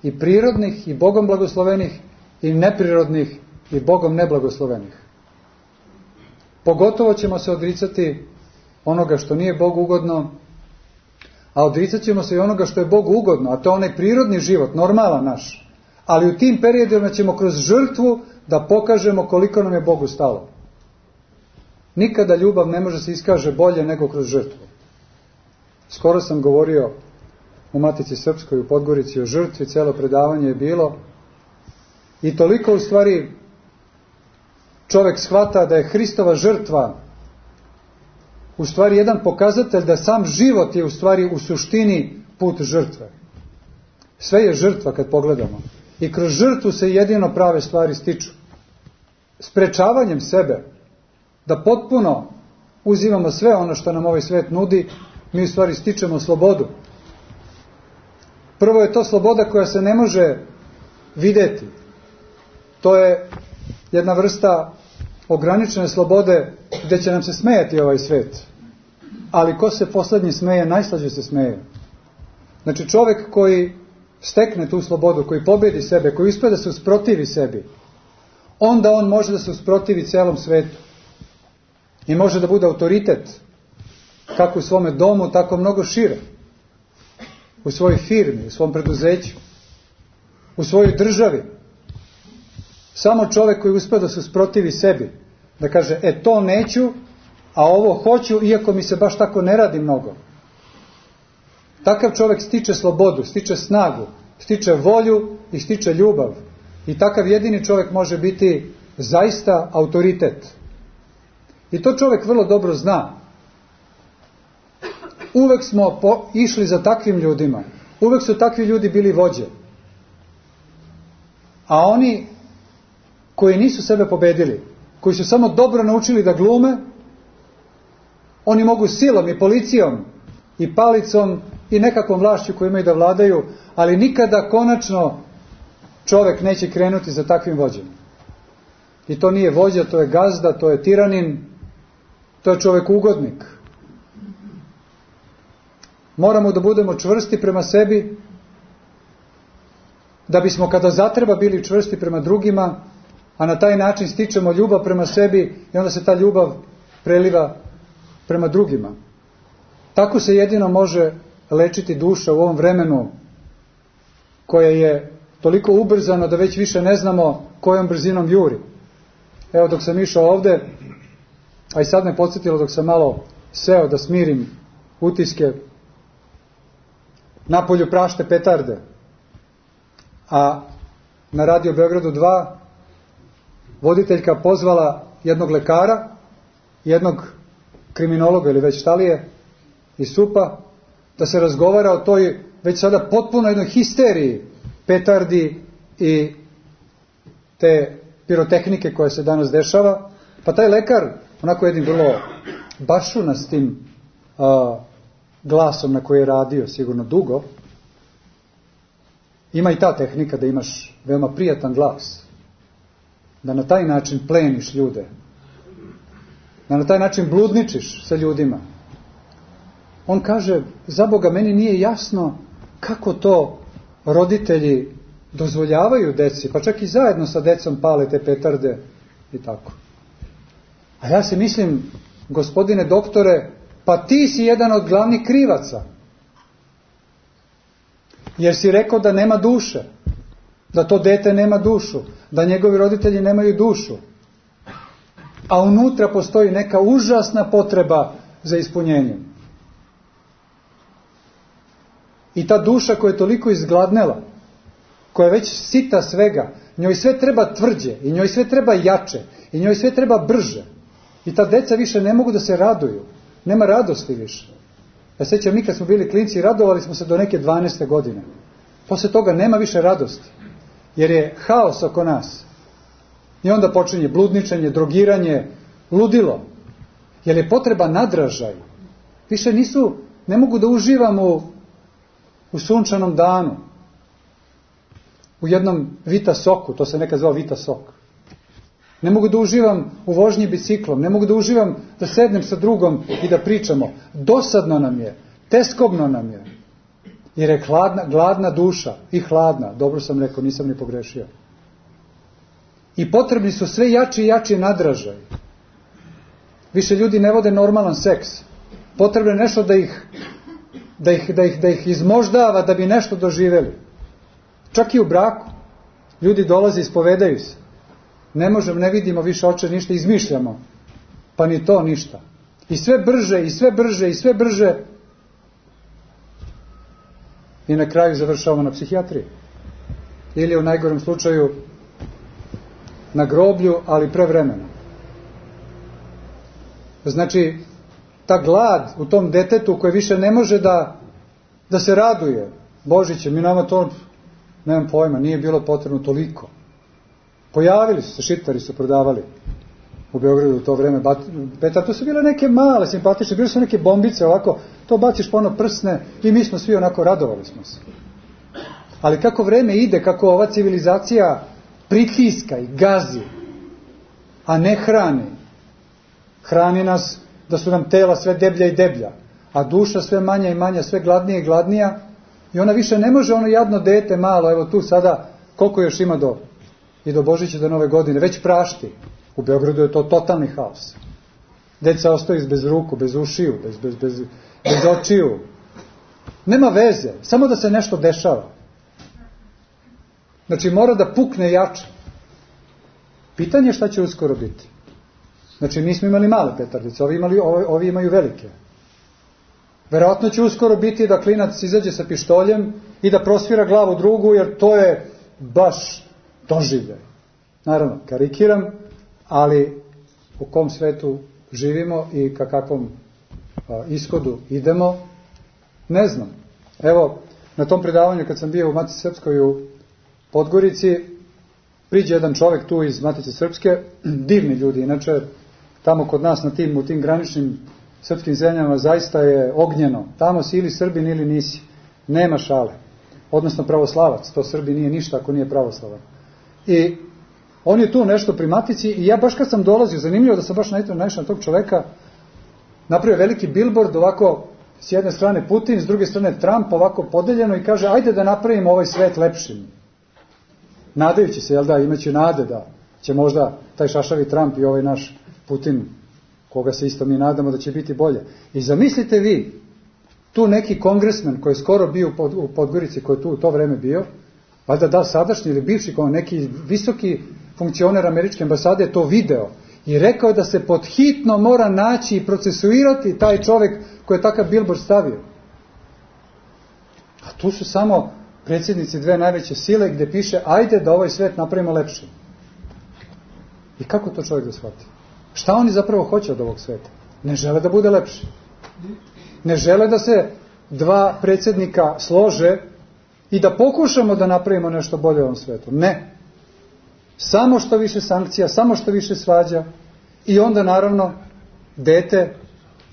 i prirodnih i Bogom blagoslovenih i neprirodnih i Bogom neblagoslovenih. Pogotovo ćemo se odricati onoga što nije Bogu ugodno, a odricat ćemo se i onoga što je Bogu ugodno, a to je onaj prirodni život, normalan naš. Ali u tim periodima ćemo kroz žrtvu da pokažemo koliko nam je Bogu stalo. Nikada ljubav ne može se iskaže bolje nego kroz žrtvu. Skoro sam govorio u Matici Srpskoj u Podgorici o žrtvi, celo predavanje je bilo i toliko u stvari čovjek shvata da je Hristova žrtva u stvari jedan pokazatelj da sam život je u stvari u suštini put žrtve. Sve je žrtva kad pogledamo. I kroz žrtvu se jedino prave stvari stiču. Sprečavanjem sebe da potpuno uzimamo sve ono što nam ovaj svet nudi, mi u stvari stičemo slobodu. Prvo je to sloboda koja se ne može vidjeti. To je jedna vrsta ograničene slobode gdje će nam se smejati ovaj svet. Ali ko se posljednji smeje, najslađe se smeje. Znači čovjek koji stekne tu slobodu, koji pobjedi sebe, koji uspije da se usprotivi sebi, onda on može da se usprotivi celom svetu. I može da bude autoritet, kako u svome domu, tako mnogo šire. U svojoj firmi, u svom preduzeću, u svojoj državi. Samo čovjek koji uspije da se usprotivi sebi, da kaže, e to neću, a ovo hoću, iako mi se baš tako ne radi mnogo. Takav čovjek stiče slobodu, stiče snagu, stiče volju i stiče ljubav. I takav jedini čovjek može biti zaista autoritet. I to čovjek vrlo dobro zna. Uvek smo po, išli za takvim ljudima. Uvek su takvi ljudi bili vođe. A oni koji nisu sebe pobedili, koji su samo dobro naučili da glume, oni mogu silom i policijom i palicom i nekakvom vlašću koju imaju da vladaju, ali nikada konačno čovjek neće krenuti za takvim vođem. I to nije vođa, to je gazda, to je tiranin, to je čovjek ugodnik. Moramo da budemo čvrsti prema sebi, da bismo kada zatreba bili čvrsti prema drugima, a na taj način stičemo ljubav prema sebi i onda se ta ljubav preliva prema drugima. Tako se jedino može lečiti duša u ovom vremenu koje je toliko ubrzano da već više ne znamo kojom brzinom juri. Evo dok sam išao ovde, a i sad me podsjetilo dok sam malo seo da smirim utiske, napolju prašte petarde, a na Radio Beogradu dva voditeljka pozvala jednog lekara, jednog kriminologa ili već šta li je, iz S U P-a, da se razgovara o toj već sada potpuno jednoj histeriji petardi i te pirotehnike koja se danas dešava. Pa taj lekar, onako jednim vrlo bašunastim a, glasom na koji je radio sigurno dugo, ima i ta tehnika da imaš veoma prijatan glas, da na taj način pleniš ljude, da na taj način bludničiš sa ljudima. On kaže, za Boga, meni nije jasno kako to roditelji dozvoljavaju deci, pa čak i zajedno sa decom pale te petarde i tako. A ja se mislim, gospodine doktore, pa ti si jedan od glavnih krivaca. Jer si rekao da nema duše, da to dete nema dušu, da njegovi roditelji nemaju dušu. A unutra postoji neka užasna potreba za ispunjenjem. I ta duša koja je toliko izgladnela, koja je već sita svega, njoj sve treba tvrđe, i njoj sve treba jače, i njoj sve treba brže. I ta deca više ne mogu da se raduju. Nema radosti više. Ja sećam, mi kad smo bili klinci, radovali smo se do neke dvanaeste godine. Posle toga nema više radosti. Jer je haos oko nas. I onda počinje bludničenje, drogiranje, ludilo. Jer je potreba nadražaj. Više nisu, ne mogu da uživam u, u sunčanom danu. U jednom Vita soku, to se nekad zvao Vita sok. Ne mogu da uživam u vožnji biciklom, ne mogu da uživam da sednem sa drugom i da pričamo. Dosadno nam je, teskobno nam je. Jer je hladna, gladna duša i hladna, dobro sam rekao, nisam ni pogrešio. I potrebni su sve jači i jači nadražaj. Više ljudi ne vode normalan seks. Potrebno je nešto da ih, da ih, da ih, da ih izmoždava da bi nešto doživjeli. Čak i u braku. Ljudi dolaze, ispovedaju se. Ne možemo, ne vidimo više oče ništa, izmišljamo. Pa ni to ništa. I sve brže, i sve brže, i sve brže. I na kraju završavamo na psihijatriji. Ili u najgorem slučaju na groblju, ali prevremeno. Znači, ta glad u tom detetu koje više ne može da, da se raduje. Božiće, mi nama to, nemam pojma, nije bilo potrebno toliko. Pojavili su se, šiptari su prodavali u Beogradu u to vreme. Petar, to su bile neke male, simpatične, bile su neke bombice ovako, to baciš po ono prsne i mi smo svi onako radovali smo se. Ali kako vreme ide, kako ova civilizacija pritiska i gazi, a ne hrani. Hrani nas da su nam tela sve deblja i deblja, a duša sve manja i manja, sve gladnija i gladnija, i ona više ne može ono jadno dete malo, evo tu sada, koliko još ima do, i do Božića, do Nove godine, već prašti. U Beogradu je to totalni haos. Deca ostaju bez ruku, bez ušiju, bez, bez, bez, bez očiju. Nema veze, samo da se nešto dešava. Znači mora da pukne jače. Pitanje je šta će uskoro biti. Znači mi smo imali male petardice, ovi, imali, ovi, ovi imaju velike. Verovatno će uskoro biti da klinac izađe sa pištoljem i da prosvira glavu drugu, jer to je baš doživljaj. Naravno, karikiram, ali u kom svetu živimo i ka kakvom a, ishodu idemo, ne znam. Evo, na tom predavanju kad sam bio u Matici Srpskoj u Podgorici, priđe jedan čovjek tu iz Matice Srpske, divni ljudi, inače tamo kod nas na tim, u tim graničnim srpskim zemljama zaista je ognjeno. Tamo si ili Srbin ili nisi. Nema šale. Odnosno pravoslavac. To Srbi nije ništa ako nije pravoslavan. I on je tu nešto pri Matici i ja baš kad sam dolazio, zanimljivo da sam baš naišao na tog čoveka, napravio veliki billboard, ovako s jedne strane Putin, s druge strane Trump, ovako podeljeno i kaže ajde da napravimo ovaj svet lepšim. Nadajući se, jel da, imaće nade da će možda taj šašavi Trump i ovaj naš Putin, koga se isto mi nadamo da će biti bolje. I zamislite vi, tu neki kongresmen koji je skoro bio u Podgorici, koji je tu u to vreme bio, valjda da sadašnji ili bivši, neki visoki funkcioner američke ambasade je to video i rekao je da se pod hitno mora naći i procesuirati taj čovjek koji je takav billboard stavio. A tu su samo predsjednici dve najveće sile gdje piše ajde da ovaj svet napravimo lepšim. I kako to čovjek da shvati? Šta oni zapravo hoće od ovog sveta? Ne žele da bude lepši. Ne žele da se dva predsjednika slože i da pokušamo da napravimo nešto bolje u ovom svetu. Ne. Samo što više sankcija, samo što više svađa i onda naravno dete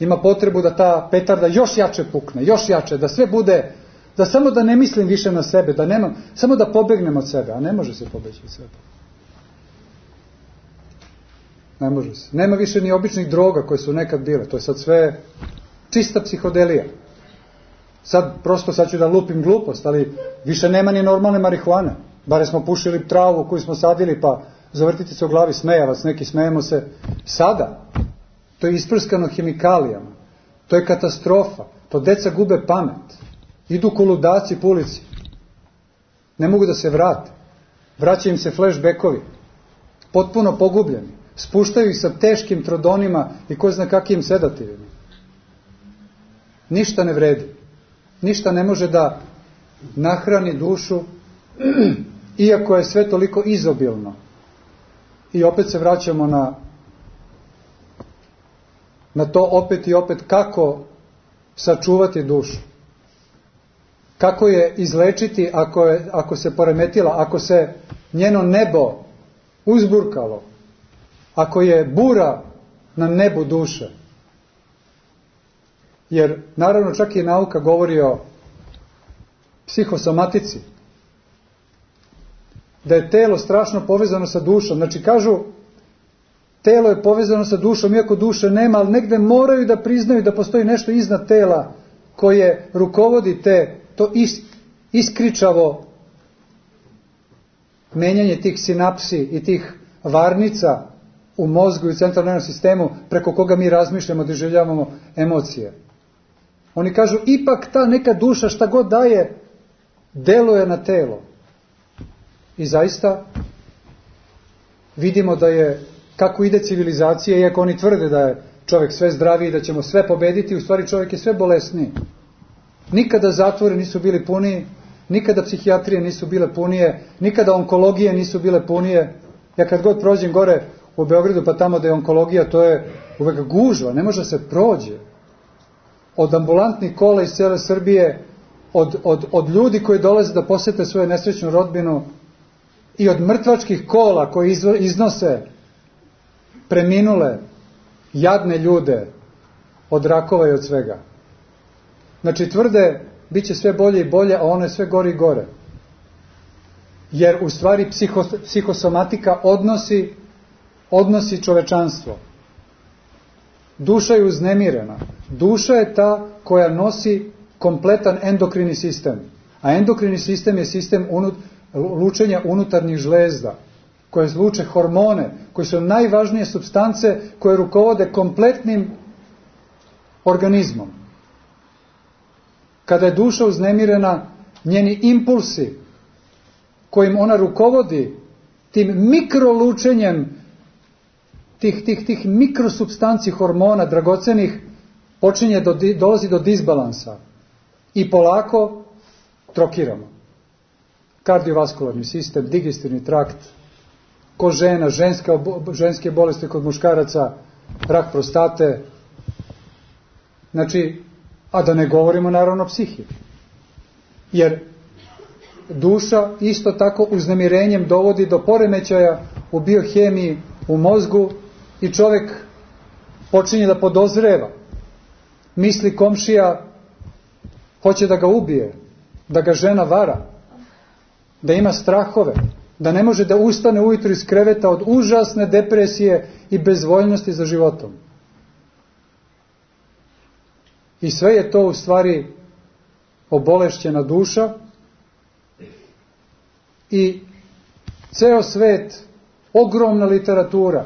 ima potrebu da ta petarda još jače pukne, još jače, da sve bude, da samo da ne mislim više na sebe, da nema, samo da pobegnem od sebe, a ne može se pobeći od sebe. Ne može se. Nema više ni običnih droga koje su nekad bile, to je sad sve čista psihodelija. Sad prosto sad ću da lupim glupost, ali više nema ni normalne marihuane. Bare smo pušili travu koju smo sadili, pa zavrtite se u glavi, smejavac, neki smejemo se. Sada, to je isprskano hemikalijama, to je katastrofa, to deca gube pamet, idu ko ludaci po ulici, ne mogu da se vrate, vraćaju im se flashbackovi, potpuno pogubljeni, spuštaju ih sa teškim trodonima i ko zna kakvim sedativima. Ništa ne vredi, ništa ne može da nahrani dušu, iako je sve toliko izobilno. I opet se vraćamo na na to opet i opet kako sačuvati dušu. Kako je izlečiti ako, je, ako se poremetila, ako se njeno nebo uzburkalo, ako je bura na nebu duše. Jer naravno čak i nauka govori o psihosomatici, da je telo strašno povezano sa dušom. Znači kažu, telo je povezano sa dušom, iako duše nema, ali negde moraju da priznaju da postoji nešto iznad tela koje rukovodi te, to is, iskričavo menjanje tih sinapsi i tih varnica u mozgu i u centralnom nervnom sistemu preko koga mi razmišljamo, doživljavamo emocije. Oni kažu, ipak ta neka duša šta god daje, deluje na telo. I zaista vidimo da je, kako ide civilizacija, iako oni tvrde da je čovjek sve zdraviji, da ćemo sve pobediti, u stvari čovjek je sve bolesniji. Nikada zatvori nisu bili puniji, nikada psihijatrije nisu bile punije, nikada onkologije nisu bile punije. Ja kad god prođem gore u Beogradu, pa tamo da je onkologija, to je uvek gužva, ne može se prođe. Od ambulantnih kola iz cele Srbije, od, od, od ljudi koji dolaze da posete svoju nesrećnu rodbinu i od mrtvačkih kola koji izvo, iznose preminule, jadne ljude od rakova i od svega. Znači tvrde, bit će sve bolje i bolje, a ono je sve gore i gore. Jer u stvari psiho, psihosomatika odnosi, odnosi čovečanstvo. Duša je uznemirena. Duša je ta koja nosi kompletan endokrini sistem. A endokrini sistem je sistem unut, lučenja unutarnjih žlezda, koje luče hormone, koje su najvažnije supstance koje rukovode kompletnim organizmom. Kada je duša uznemirena, njeni impulsi kojim ona rukovodi, tim mikrolučenjem tih, tih, tih mikrosupstanci hormona dragocenih, počinje do, dolazi do disbalansa i polako trokiramo. Kardiovaskularni sistem, digestivni trakt, kod žena, ženska, ženske bolesti kod muškaraca, rak prostate, znači, a da ne govorimo naravno psihi. Jer duša isto tako uznemirenjem dovodi do poremećaja u biohemiji, u mozgu i čovjek počinje da podozreva. Misli komšija hoće da ga ubije, da ga žena vara, da ima strahove, da ne može da ustane ujutro iz kreveta od užasne depresije i bezvoljnosti za životom. I sve je to u stvari obolešćena duša i ceo svet, ogromna literatura.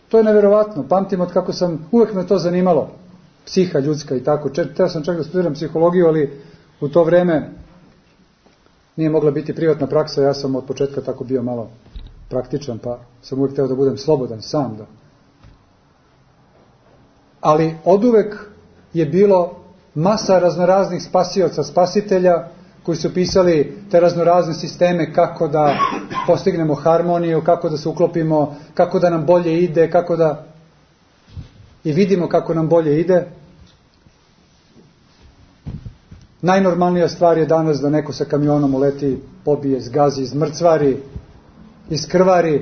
To je neverovatno. Pamtim od kako sam, uvek me to zanimalo. Psiha ljudska i tako. Teo sam čak da studiram psihologiju, ali u to vreme nije mogla biti privatna praksa. Ja sam od početka tako bio malo praktičan, pa sam uvek teo da budem slobodan sam. Da. Ali oduvek je bilo masa raznoraznih spasioca, spasitelja, koji su pisali te raznorazne sisteme kako da postignemo harmoniju, kako da se uklopimo, kako da nam bolje ide, kako da i vidimo kako nam bolje ide. Najnormalnija stvar je danas da neko sa kamionom uleti, pobije, zgazi, izmrcvari, iskrvari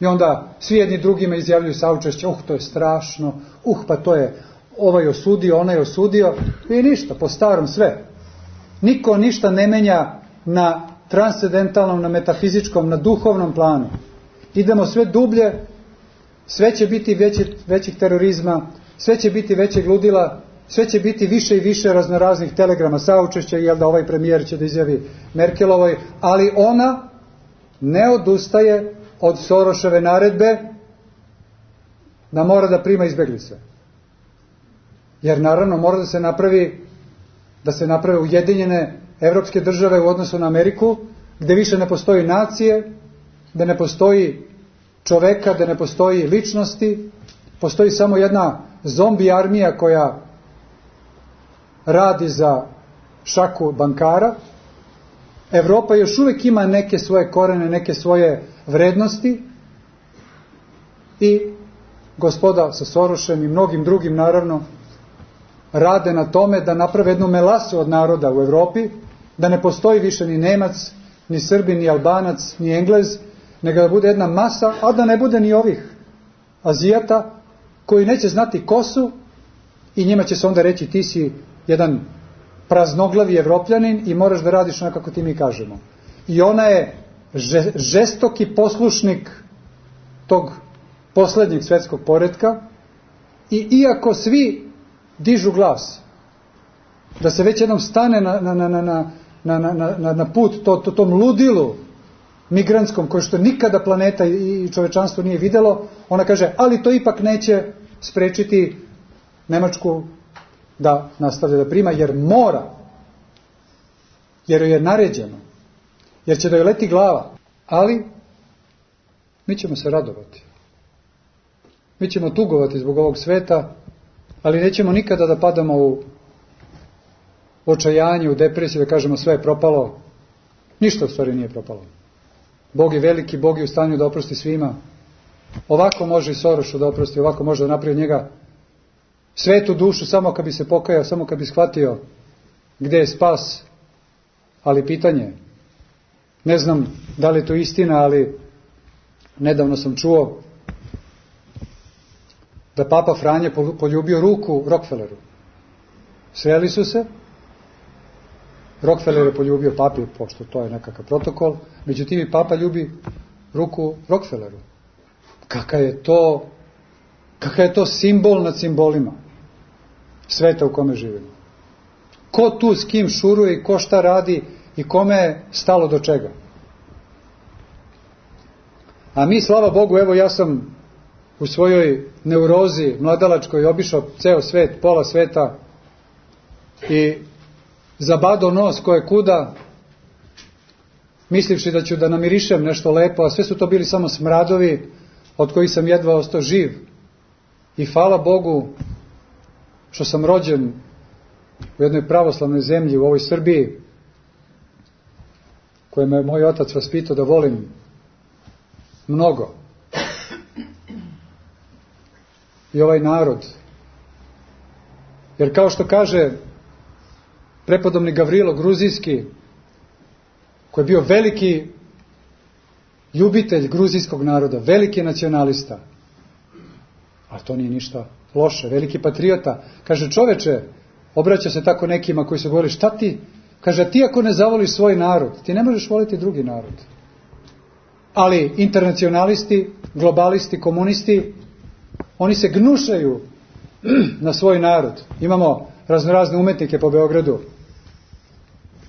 i onda svi jedni drugima izjavljuju saučešće, uh, to je strašno, uh, pa to je ovaj osudio, onaj osudio i ništa, po starom sve. Niko ništa ne menja na transcendentalnom, na metafizičkom, na duhovnom planu. Idemo sve dublje, sve će biti veći, većih terorizma, sve će biti većeg ludila, sve će biti više i više raznoraznih telegrama saučešća, jel da ovaj premijer će da izjavi Merkelovoj, ali ona ne odustaje od Soroševe naredbe da mora da prima izbeglice. Jer naravno mora da se napravi da se naprave ujedinjene evropske države u odnosu na Ameriku, gde više ne postoji nacije, gde ne postoji čoveka, gde ne postoji ličnosti, postoji samo jedna zombi armija koja radi za šaku bankara. Evropa još uvijek ima neke svoje korene, neke svoje vrednosti i gospoda sa Sorošem i mnogim drugim naravno rade na tome da naprave jednu melasu od naroda u Evropi, da ne postoji više ni Nemac, ni Srbin, ni Albanac, ni Englez, nego da bude jedna masa, a da ne bude ni ovih Azijata koji neće znati ko su i njima će se onda reći ti si jedan praznoglavi Evropljanin i moraš da radiš onako kako ti mi kažemo. I ona je žestoki poslušnik tog poslednjeg svetskog poretka i iako svi dižu glas, da se već jednom stane na, na, na, na, na, na, na, na put to, to, tom ludilu migrantskom, koje što nikada planeta i čovečanstvo nije vidjelo, ona kaže, ali to ipak neće sprečiti Nemačku da nastavlja da prima, jer mora, jer joj je naređeno, jer će da joj leti glava. Ali mi ćemo se radovati. Mi ćemo tugovati zbog ovog sveta, ali nećemo nikada da padamo u očajanje, u depresiju, da kažemo sve je propalo. Ništa u stvari nije propalo. Bog je veliki, Bog je u stanju da oprosti svima. Ovako može i Sorošu da oprosti, ovako može da napravi njega svetu dušu, samo kad bi se pokajao, samo kad bi shvatio gde je spas. Ali pitanje, ne znam da li je to istina, ali nedavno sam čuo da Papa Franje poljubio ruku Rockefelleru. Sreli su se, Rockefeller je poljubio papi, pošto to je nekakav protokol, međutim i Papa ljubi ruku Rockefelleru. Kakav je to, kakav je to simbol nad simbolima sveta u kome živimo. Ko tu s kim šuruje i ko šta radi i kome je stalo do čega. A mi, slava Bogu, evo ja sam u svojoj neurozi mladalačkoj obišao ceo svet, pola sveta i zabado nos koje kuda, mislivši da ću da namirišem nešto lepo, a sve su to bili samo smradovi od kojih sam jedva ostao živ. I hvala Bogu što sam rođen u jednoj pravoslavnoj zemlji, u ovoj Srbiji, koje me moj otac vaspitao da volim mnogo. I ovaj narod. Jer kao što kaže prepodobni Gavrilo Gruzijski, koji je bio veliki ljubitelj gruzijskog naroda, veliki nacionalista, a to nije ništa loše, veliki patriota, kaže, čoveče, obraća se tako nekima koji su govorili, šta ti? Kaže, ti ako ne zavoliš svoj narod, ti ne možeš voliti drugi narod. Ali internacionalisti, globalisti, komunisti, oni se gnušaju na svoj narod. Imamo raznorazne umetnike po Beogradu.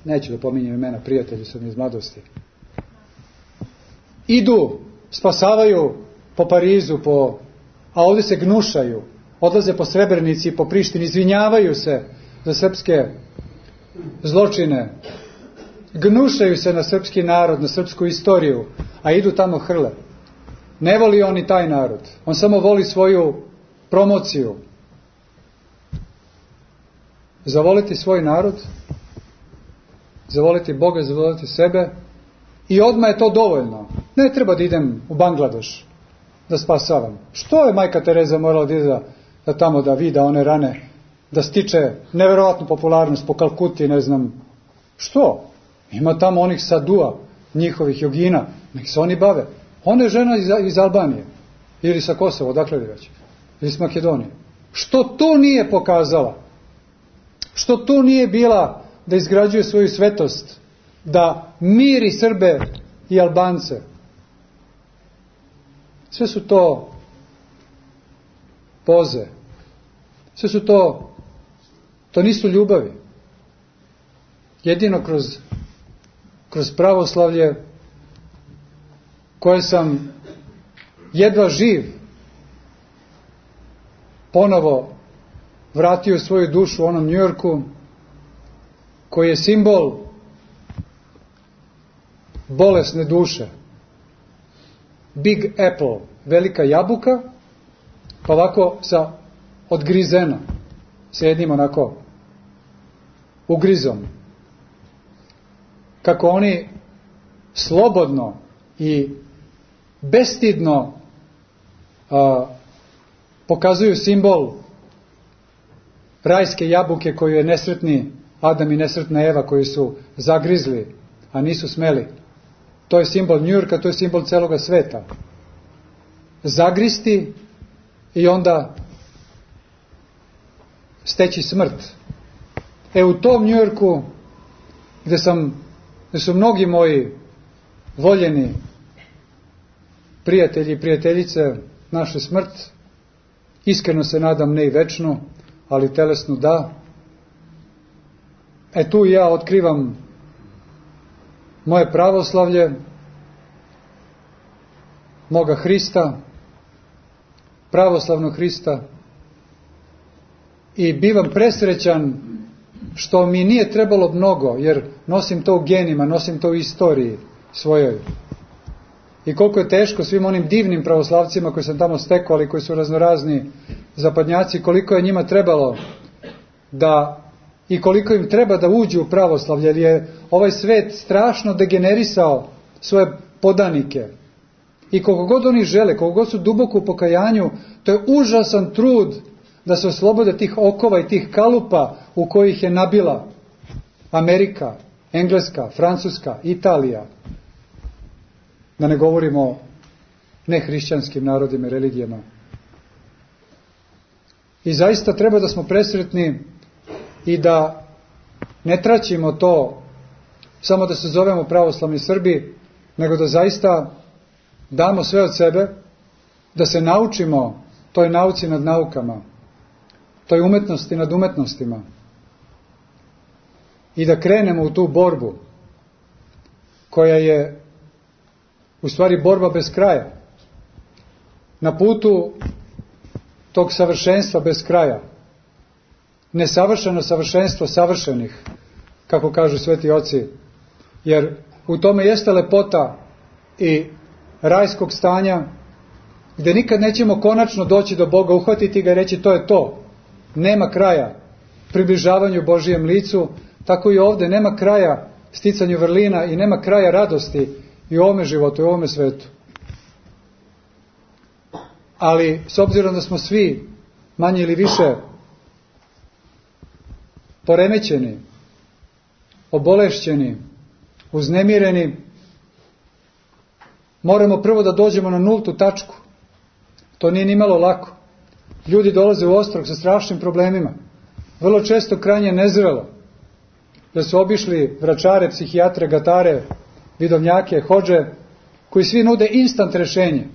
Neću da pominjem imena, prijatelji su mi iz mladosti. Idu, spasavaju po Parizu, po, a ovdje se gnušaju. Odlaze po Srebrenici i po Prištini, izvinjavaju se za srpske zločine. Gnušaju se na srpski narod, na srpsku istoriju, a idu tamo hrle. Ne voli on i taj narod. On samo voli svoju promociju. Zavoliti svoj narod, zavoliti Boga, zavoliti sebe i odmah je to dovoljno. Ne treba da idem u Bangladeš da spasavam. Što je majka Tereza morala da ide da, da tamo da vida one rane, da stiče neverovatnu popularnost po Kalkuti, ne znam što. Ima tamo onih sadua, njihovih jogina, nek se oni bave. Ona je žena iz, iz Albanije, ili sa Kosova, odakle li već, ili iz Makedonije. Što to nije pokazala? Što to nije bila da izgrađuje svoju svetost, da miri Srbe i Albance? Sve su to poze. Sve su to, to nisu ljubavi. Jedino kroz, kroz pravoslavlje, koje sam jedva živ ponovo vratio svoju dušu u onom Njujorku, koji je simbol bolesne duše. Big Apple, velika jabuka, pa ovako sa odgrizena, sa jednim onako ugrizom. Kako oni slobodno i bestidno a, pokazuju simbol rajske jabuke koju je nesretni Adam i nesretna Eva koji su zagrizli, a nisu smeli. To je simbol Njujorka, to je simbol celoga sveta. Zagristi i onda steći smrt. E u tom Njujorku, gde sam, gde su mnogi moji voljeni prijatelji i prijateljice našli smrt, iskreno se nadam ne i večnu, ali telesnu da. E tu ja otkrivam moje pravoslavlje moga Hrista, pravoslavnog Hrista, i bivam presrećan što mi nije trebalo mnogo, jer nosim to u genima, nosim to u istoriji svojoj. I koliko je teško svim onim divnim pravoslavcima koji sam tamo stekao, ali koji su raznorazni zapadnjaci, koliko je njima trebalo da, i koliko im treba da uđu u pravoslavlje, jer je ovaj svet strašno degenerisao svoje podanike. I koliko god oni žele, koliko god su duboko u pokajanju, to je užasan trud da se oslobode tih okova i tih kalupa u kojih je nabila Amerika, Engleska, Francuska, Italija. Da ne govorimo o nehrišćanskim narodima i religijama. I zaista treba da smo presretni i da ne traćimo to samo da se zovemo pravoslavni Srbi, nego da zaista damo sve od sebe, da se naučimo toj nauci nad naukama, toj umetnosti nad umetnostima i da krenemo u tu borbu koja je u stvari borba bez kraja. Na putu tog savršenstva bez kraja. Nesavršeno savršenstvo savršenih, kako kažu sveti oci. Jer u tome jeste lepota i rajskog stanja, gdje nikad nećemo konačno doći do Boga, uhvatiti ga i reći to je to. Nema kraja približavanju Božijem licu, tako i ovdje nema kraja sticanju vrlina i nema kraja radosti i u ovome životu, i u ovome svetu. Ali s obzirom da smo svi manje ili više poremećeni, obolešćeni, uznemireni, moramo prvo da dođemo na nultu tačku. To nije ni malo lako. Ljudi dolaze u Ostrog sa strašnim problemima. Vrlo često krajnje nezrelo. Da su obišli vračare, psihijatre, gatare, vidovnjake, hodže, koji svi nude instant rešenje.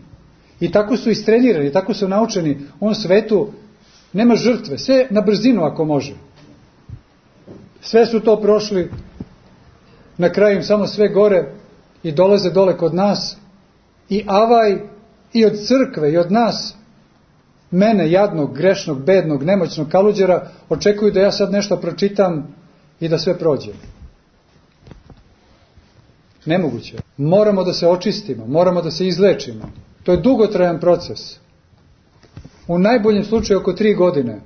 I tako su istrenirani, tako su naučeni. U ovom svetu nema žrtve, sve na brzinu ako može. Sve su to prošli, na kraju im samo sve gore i dolaze dole kod nas. I avaj i od crkve i od nas, mene, jadnog, grešnog, bednog, nemoćnog kaluđera, očekuju da ja sad nešto pročitam i da sve prođe. Nemoguće. Moramo da se očistimo, moramo da se izlečimo. To je dugotrajan proces. U najboljem slučaju oko tri godine.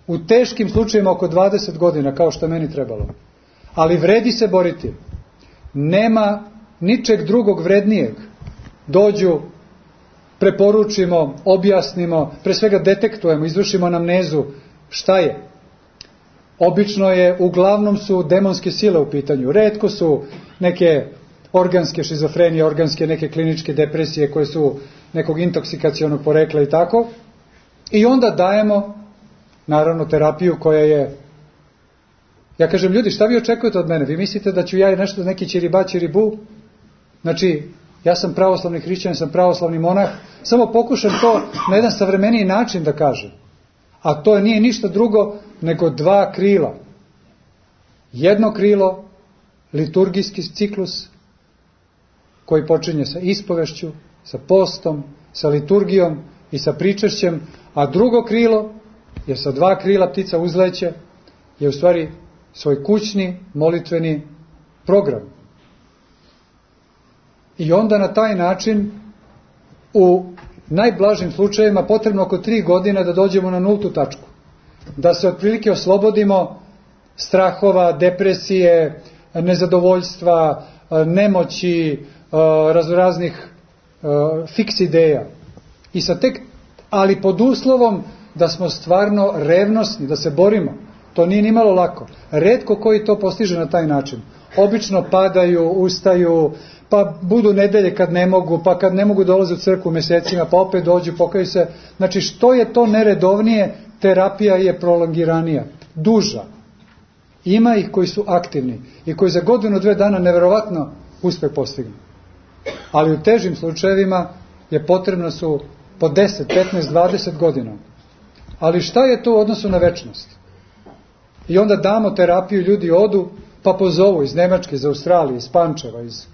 U teškim slučajima oko dvadeset godina, kao što je meni trebalo. Ali vredi se boriti. Nema ničeg drugog vrednijeg. Dođu, preporučimo, objasnimo, pre svega detektujemo, izvršimo anamnezu. Šta je? Obično je, uglavnom su demonske sile u pitanju. Retko su neke organske šizofrenije, organske neke kliničke depresije koje su nekog intoksikacionog porekla i tako. I onda dajemo, naravno, terapiju koja je... Ja kažem, ljudi, šta vi očekujete od mene? Vi mislite da ću ja nešto, neki čiriba, čiribu? Znači, ja sam pravoslavni hrišćanin, sam pravoslavni monah, samo pokušam to na jedan savremeniji način da kažem. A to nije ništa drugo nego dva krila. Jedno krilo, liturgijski ciklus, koji počinje sa ispovešću, sa postom, sa liturgijom i sa pričešćem, a drugo krilo, jer sa dva krila ptica uzleće, je u stvari svoj kućni, molitveni program. I onda na taj način, u najblažim slučajevima, potrebno oko tri godine da dođemo na nultu tačku. Da se otprilike oslobodimo strahova, depresije, nezadovoljstva, nemoći, raznoraznih fiks ideja. I sa tek, ali pod uslovom da smo stvarno revnosni, da se borimo. To nije ni malo lako. Retko koji to postiže na taj način. Obično padaju, ustaju, pa budu nedelje kad ne mogu, pa kad ne mogu dolaze u crkvu mjesecima, pa opet dođu, pokaju se. Znači, što je to neredovnije, terapija je prolongiranija, duža. Ima ih koji su aktivni i koji za godinu, dve dana neverovatno uspeh postignu. Ali u težim slučajevima je potrebno su po deset, petnaest, dvadeset godina. Ali šta je to u odnosu na večnost? I onda damo terapiju, ljudi odu, pa pozovu iz Nemačke, iz Australije, iz Pančeva, iz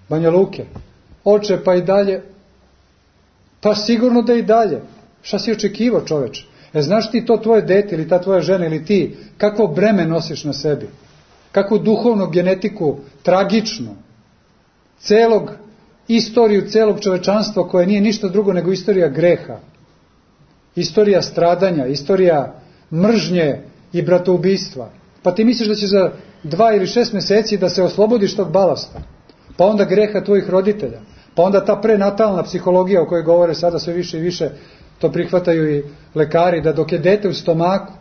Banja Luke. Oče, pa i dalje Pa sigurno da i dalje. Šta si očekivao, čoveče? E, znaš ti to tvoje dete ili ta tvoja žena ili ti, kakvo breme nosiš na sebi? Kakvu duhovnu genetiku, tragičnu, celog istoriju celog čovečanstva koje nije ništa drugo nego istorija greha, istorija stradanja, istorija mržnje i bratoubistva. Pa ti misliš da će za dva ili šest meseci da se oslobodiš tog balasta, pa onda greha tvojih roditelja, pa onda ta prenatalna psihologija o kojoj govore sada sve više i više, to prihvataju i lekari, da dok je dete u stomaku,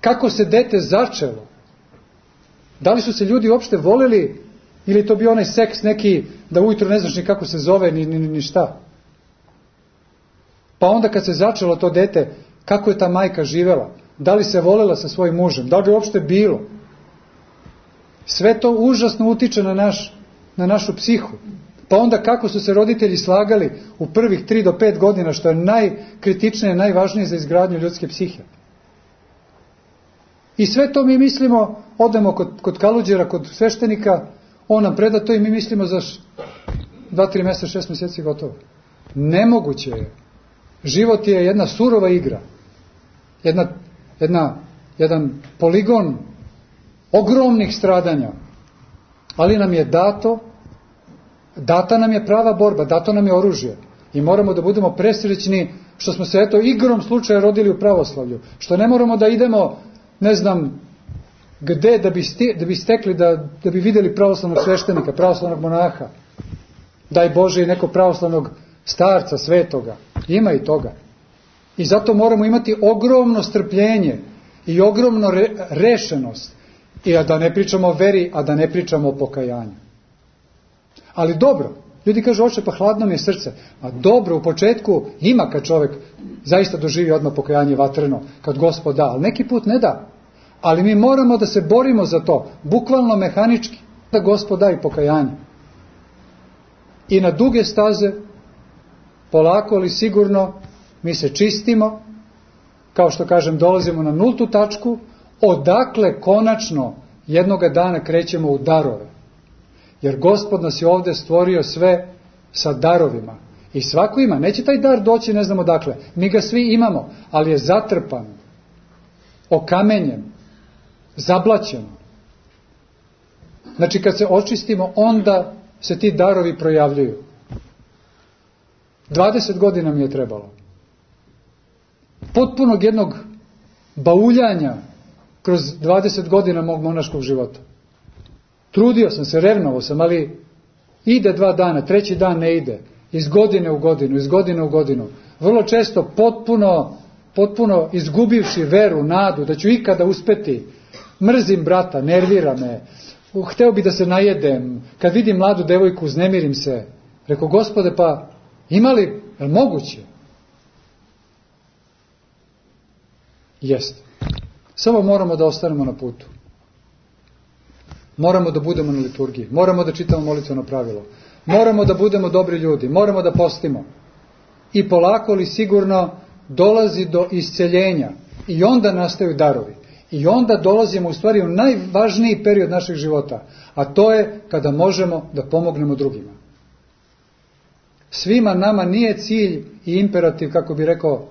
kako se dete začelo, da li su se ljudi uopšte voleli ili to bio onaj seks neki da ujutro ne znaš ni kako se zove ni, ni, ni šta. Pa onda kad se začelo to dete, kako je ta majka živela, da li se volela sa svojim mužem, da li je uopšte bilo. Sve to užasno utiče na, naš, na našu psihu. Pa onda kako su se roditelji slagali u prvih tri do pet godina, što je najkritičnije, najvažnije za izgradnju ljudske psihe. I sve to mi mislimo, odemo kod, kod kaluđera, kod sveštenika, on nam preda to i mi mislimo za dva, tri mjeseca, šest mjeseci gotovo. Nemoguće je. Život je jedna surova igra. Jedna, jedna, jedan poligon ogromnih stradanja. Ali nam je dato, data nam je prava borba, dato nam je oružje. I moramo da budemo presrećni što smo se eto igrom slučaja rodili u pravoslavlju. Što ne moramo da idemo, ne znam, gde da bi, sti, da bi stekli, da, da bi vidjeli pravoslavnog sveštenika, pravoslavnog monaha. Daj Bože i neko pravoslavnog starca, svetoga. Ima i toga. I zato moramo imati ogromno strpljenje i ogromno re, rešenost. I a da ne pričamo o veri, a da ne pričamo o pokajanju. Ali dobro, ljudi kažu, oče, pa hladno mi je srce. A dobro, u početku ima kad čovjek zaista doživi odmah pokajanje vatreno, kad Gospod da, ali neki put ne da. Ali mi moramo da se borimo za to, bukvalno mehanički, da Gospod da i pokajanje. I na duge staze, polako ali sigurno, mi se čistimo, kao što kažem, dolazimo na nultu tačku, odakle konačno jednoga dana krećemo u darove. Jer Gospod nas je ovdje stvorio sve sa darovima. I svako ima. Neće taj dar doći ne znamo dakle. Mi ga svi imamo, ali je zatrpan, okamenjen, zablaćen. Znači kad se očistimo, onda se ti darovi projavljuju. dvadeset godina mi je trebalo. Potpunog jednog bauljanja kroz dvadeset godina mog monaškog života. Trudio sam se, revnovao sam, ali ide dva dana, treći dan ne ide. Iz godine u godinu, iz godine u godinu. Vrlo često potpuno, potpuno izgubivši veru, nadu, da ću ikada uspeti. Mrzim brata, nervira me. Hteo bi da se najedem. Kad vidim mladu devojku, uznemirim se. Rekao, Gospode, pa ima li, je li moguće? Jeste. Samo moramo da ostanemo na putu. Moramo da budemo na liturgiji. Moramo da čitamo molitveno pravilo. Moramo da budemo dobri ljudi. Moramo da postimo. I polako ali sigurno dolazi do isceljenja. I onda nastaju darovi. I onda dolazimo u stvari u najvažniji period našeg života. A to je kada možemo da pomognemo drugima. Svima nama nije cilj i imperativ, kako bi rekao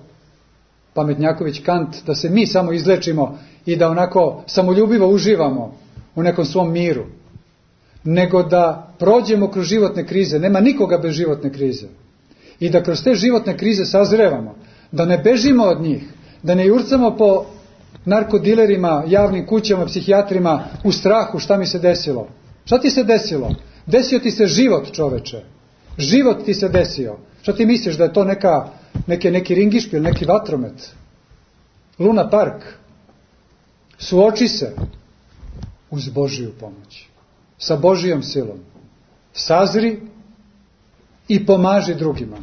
pametnjaković Kant, da se mi samo izlečimo i da onako samoljubivo uživamo u nekom svom miru, nego da prođemo kroz životne krize. Nema nikoga bez životne krize. I da kroz te životne krize sazrevamo, da ne bežimo od njih, da ne jurcamo po narkodilerima, javnim kućama, psihijatrima u strahu šta mi se desilo. Šta ti se desilo? Desio ti se život, čoveče. Život ti se desio. Šta ti misliš da je to neka, neke, neki ringišpil, neki vatromet? Luna Park. Suoči se uz Božiju pomoć. Sa Božijom silom. Sazri i pomaži drugima.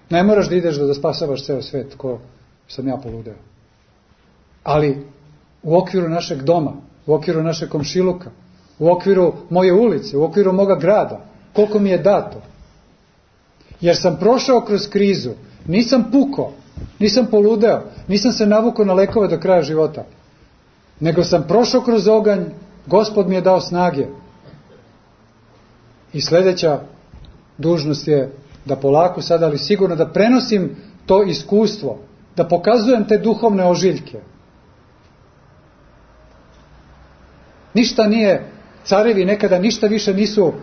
Ne moraš da ideš da, da spasavaš ceo svet, ko sam ja poludeo. Ali u okviru našeg doma, u okviru našeg komšiluka, u okviru moje ulice, u okviru moga grada, koliko mi je dato. Jer sam prošao kroz krizu, nisam pukao, nisam poludeo, nisam se navukao na lekove do kraja života, nego sam prošao kroz oganj, Gospod mi je dao snage. I sljedeća dužnost je da polako sada, ali sigurno da prenosim to iskustvo, da pokazujem te duhovne ožiljke. Ništa nije, carevi nekada ništa više nisu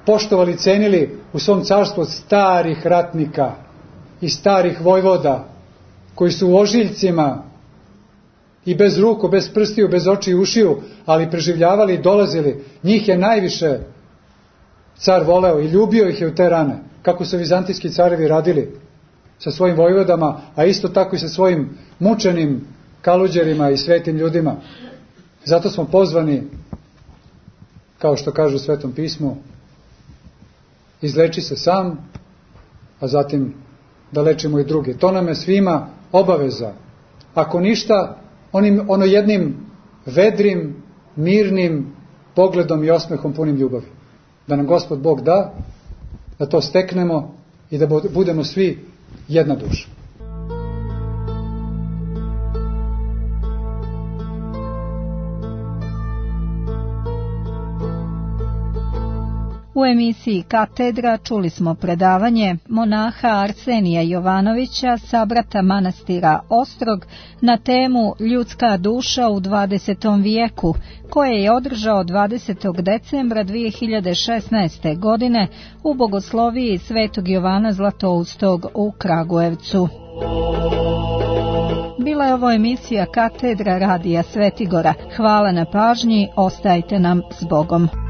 poštovali, cenili u svom carstvu od starih ratnika i starih vojvoda, koji su u ožiljcima i bez ruku, bez prstiju, bez oči i ušiju, ali preživljavali i dolazili. Njih je najviše car voleo i ljubio ih je u te rane, kako su vizantijski carevi radili sa svojim vojvodama, a isto tako i sa svojim mučenim kaluđerima i svetim ljudima. Zato smo pozvani, kao što kaže u Svetom pismu, izleči se sam, a zatim da lečimo i druge. To nam je svima obaveza. Ako ništa, onim, ono jednim vedrim, mirnim pogledom i osmehom punim ljubavi. Da nam Gospod Bog da, da to steknemo i da budemo svi jedna duša. U emisiji Katedra čuli smo predavanje monaha Arsenija Jovanovića, sabrata manastira Ostrog, na temu Ljudska duša u dvadesetom vijeku, koje je održao dvadesetog decembra dvije hiljade šesnaeste. godine u bogosloviji Svetog Jovana Zlatoustog u Kragujevcu. Bila je ovo emisija Katedra radija Svetigora. Hvala na pažnji, ostajte nam s Bogom.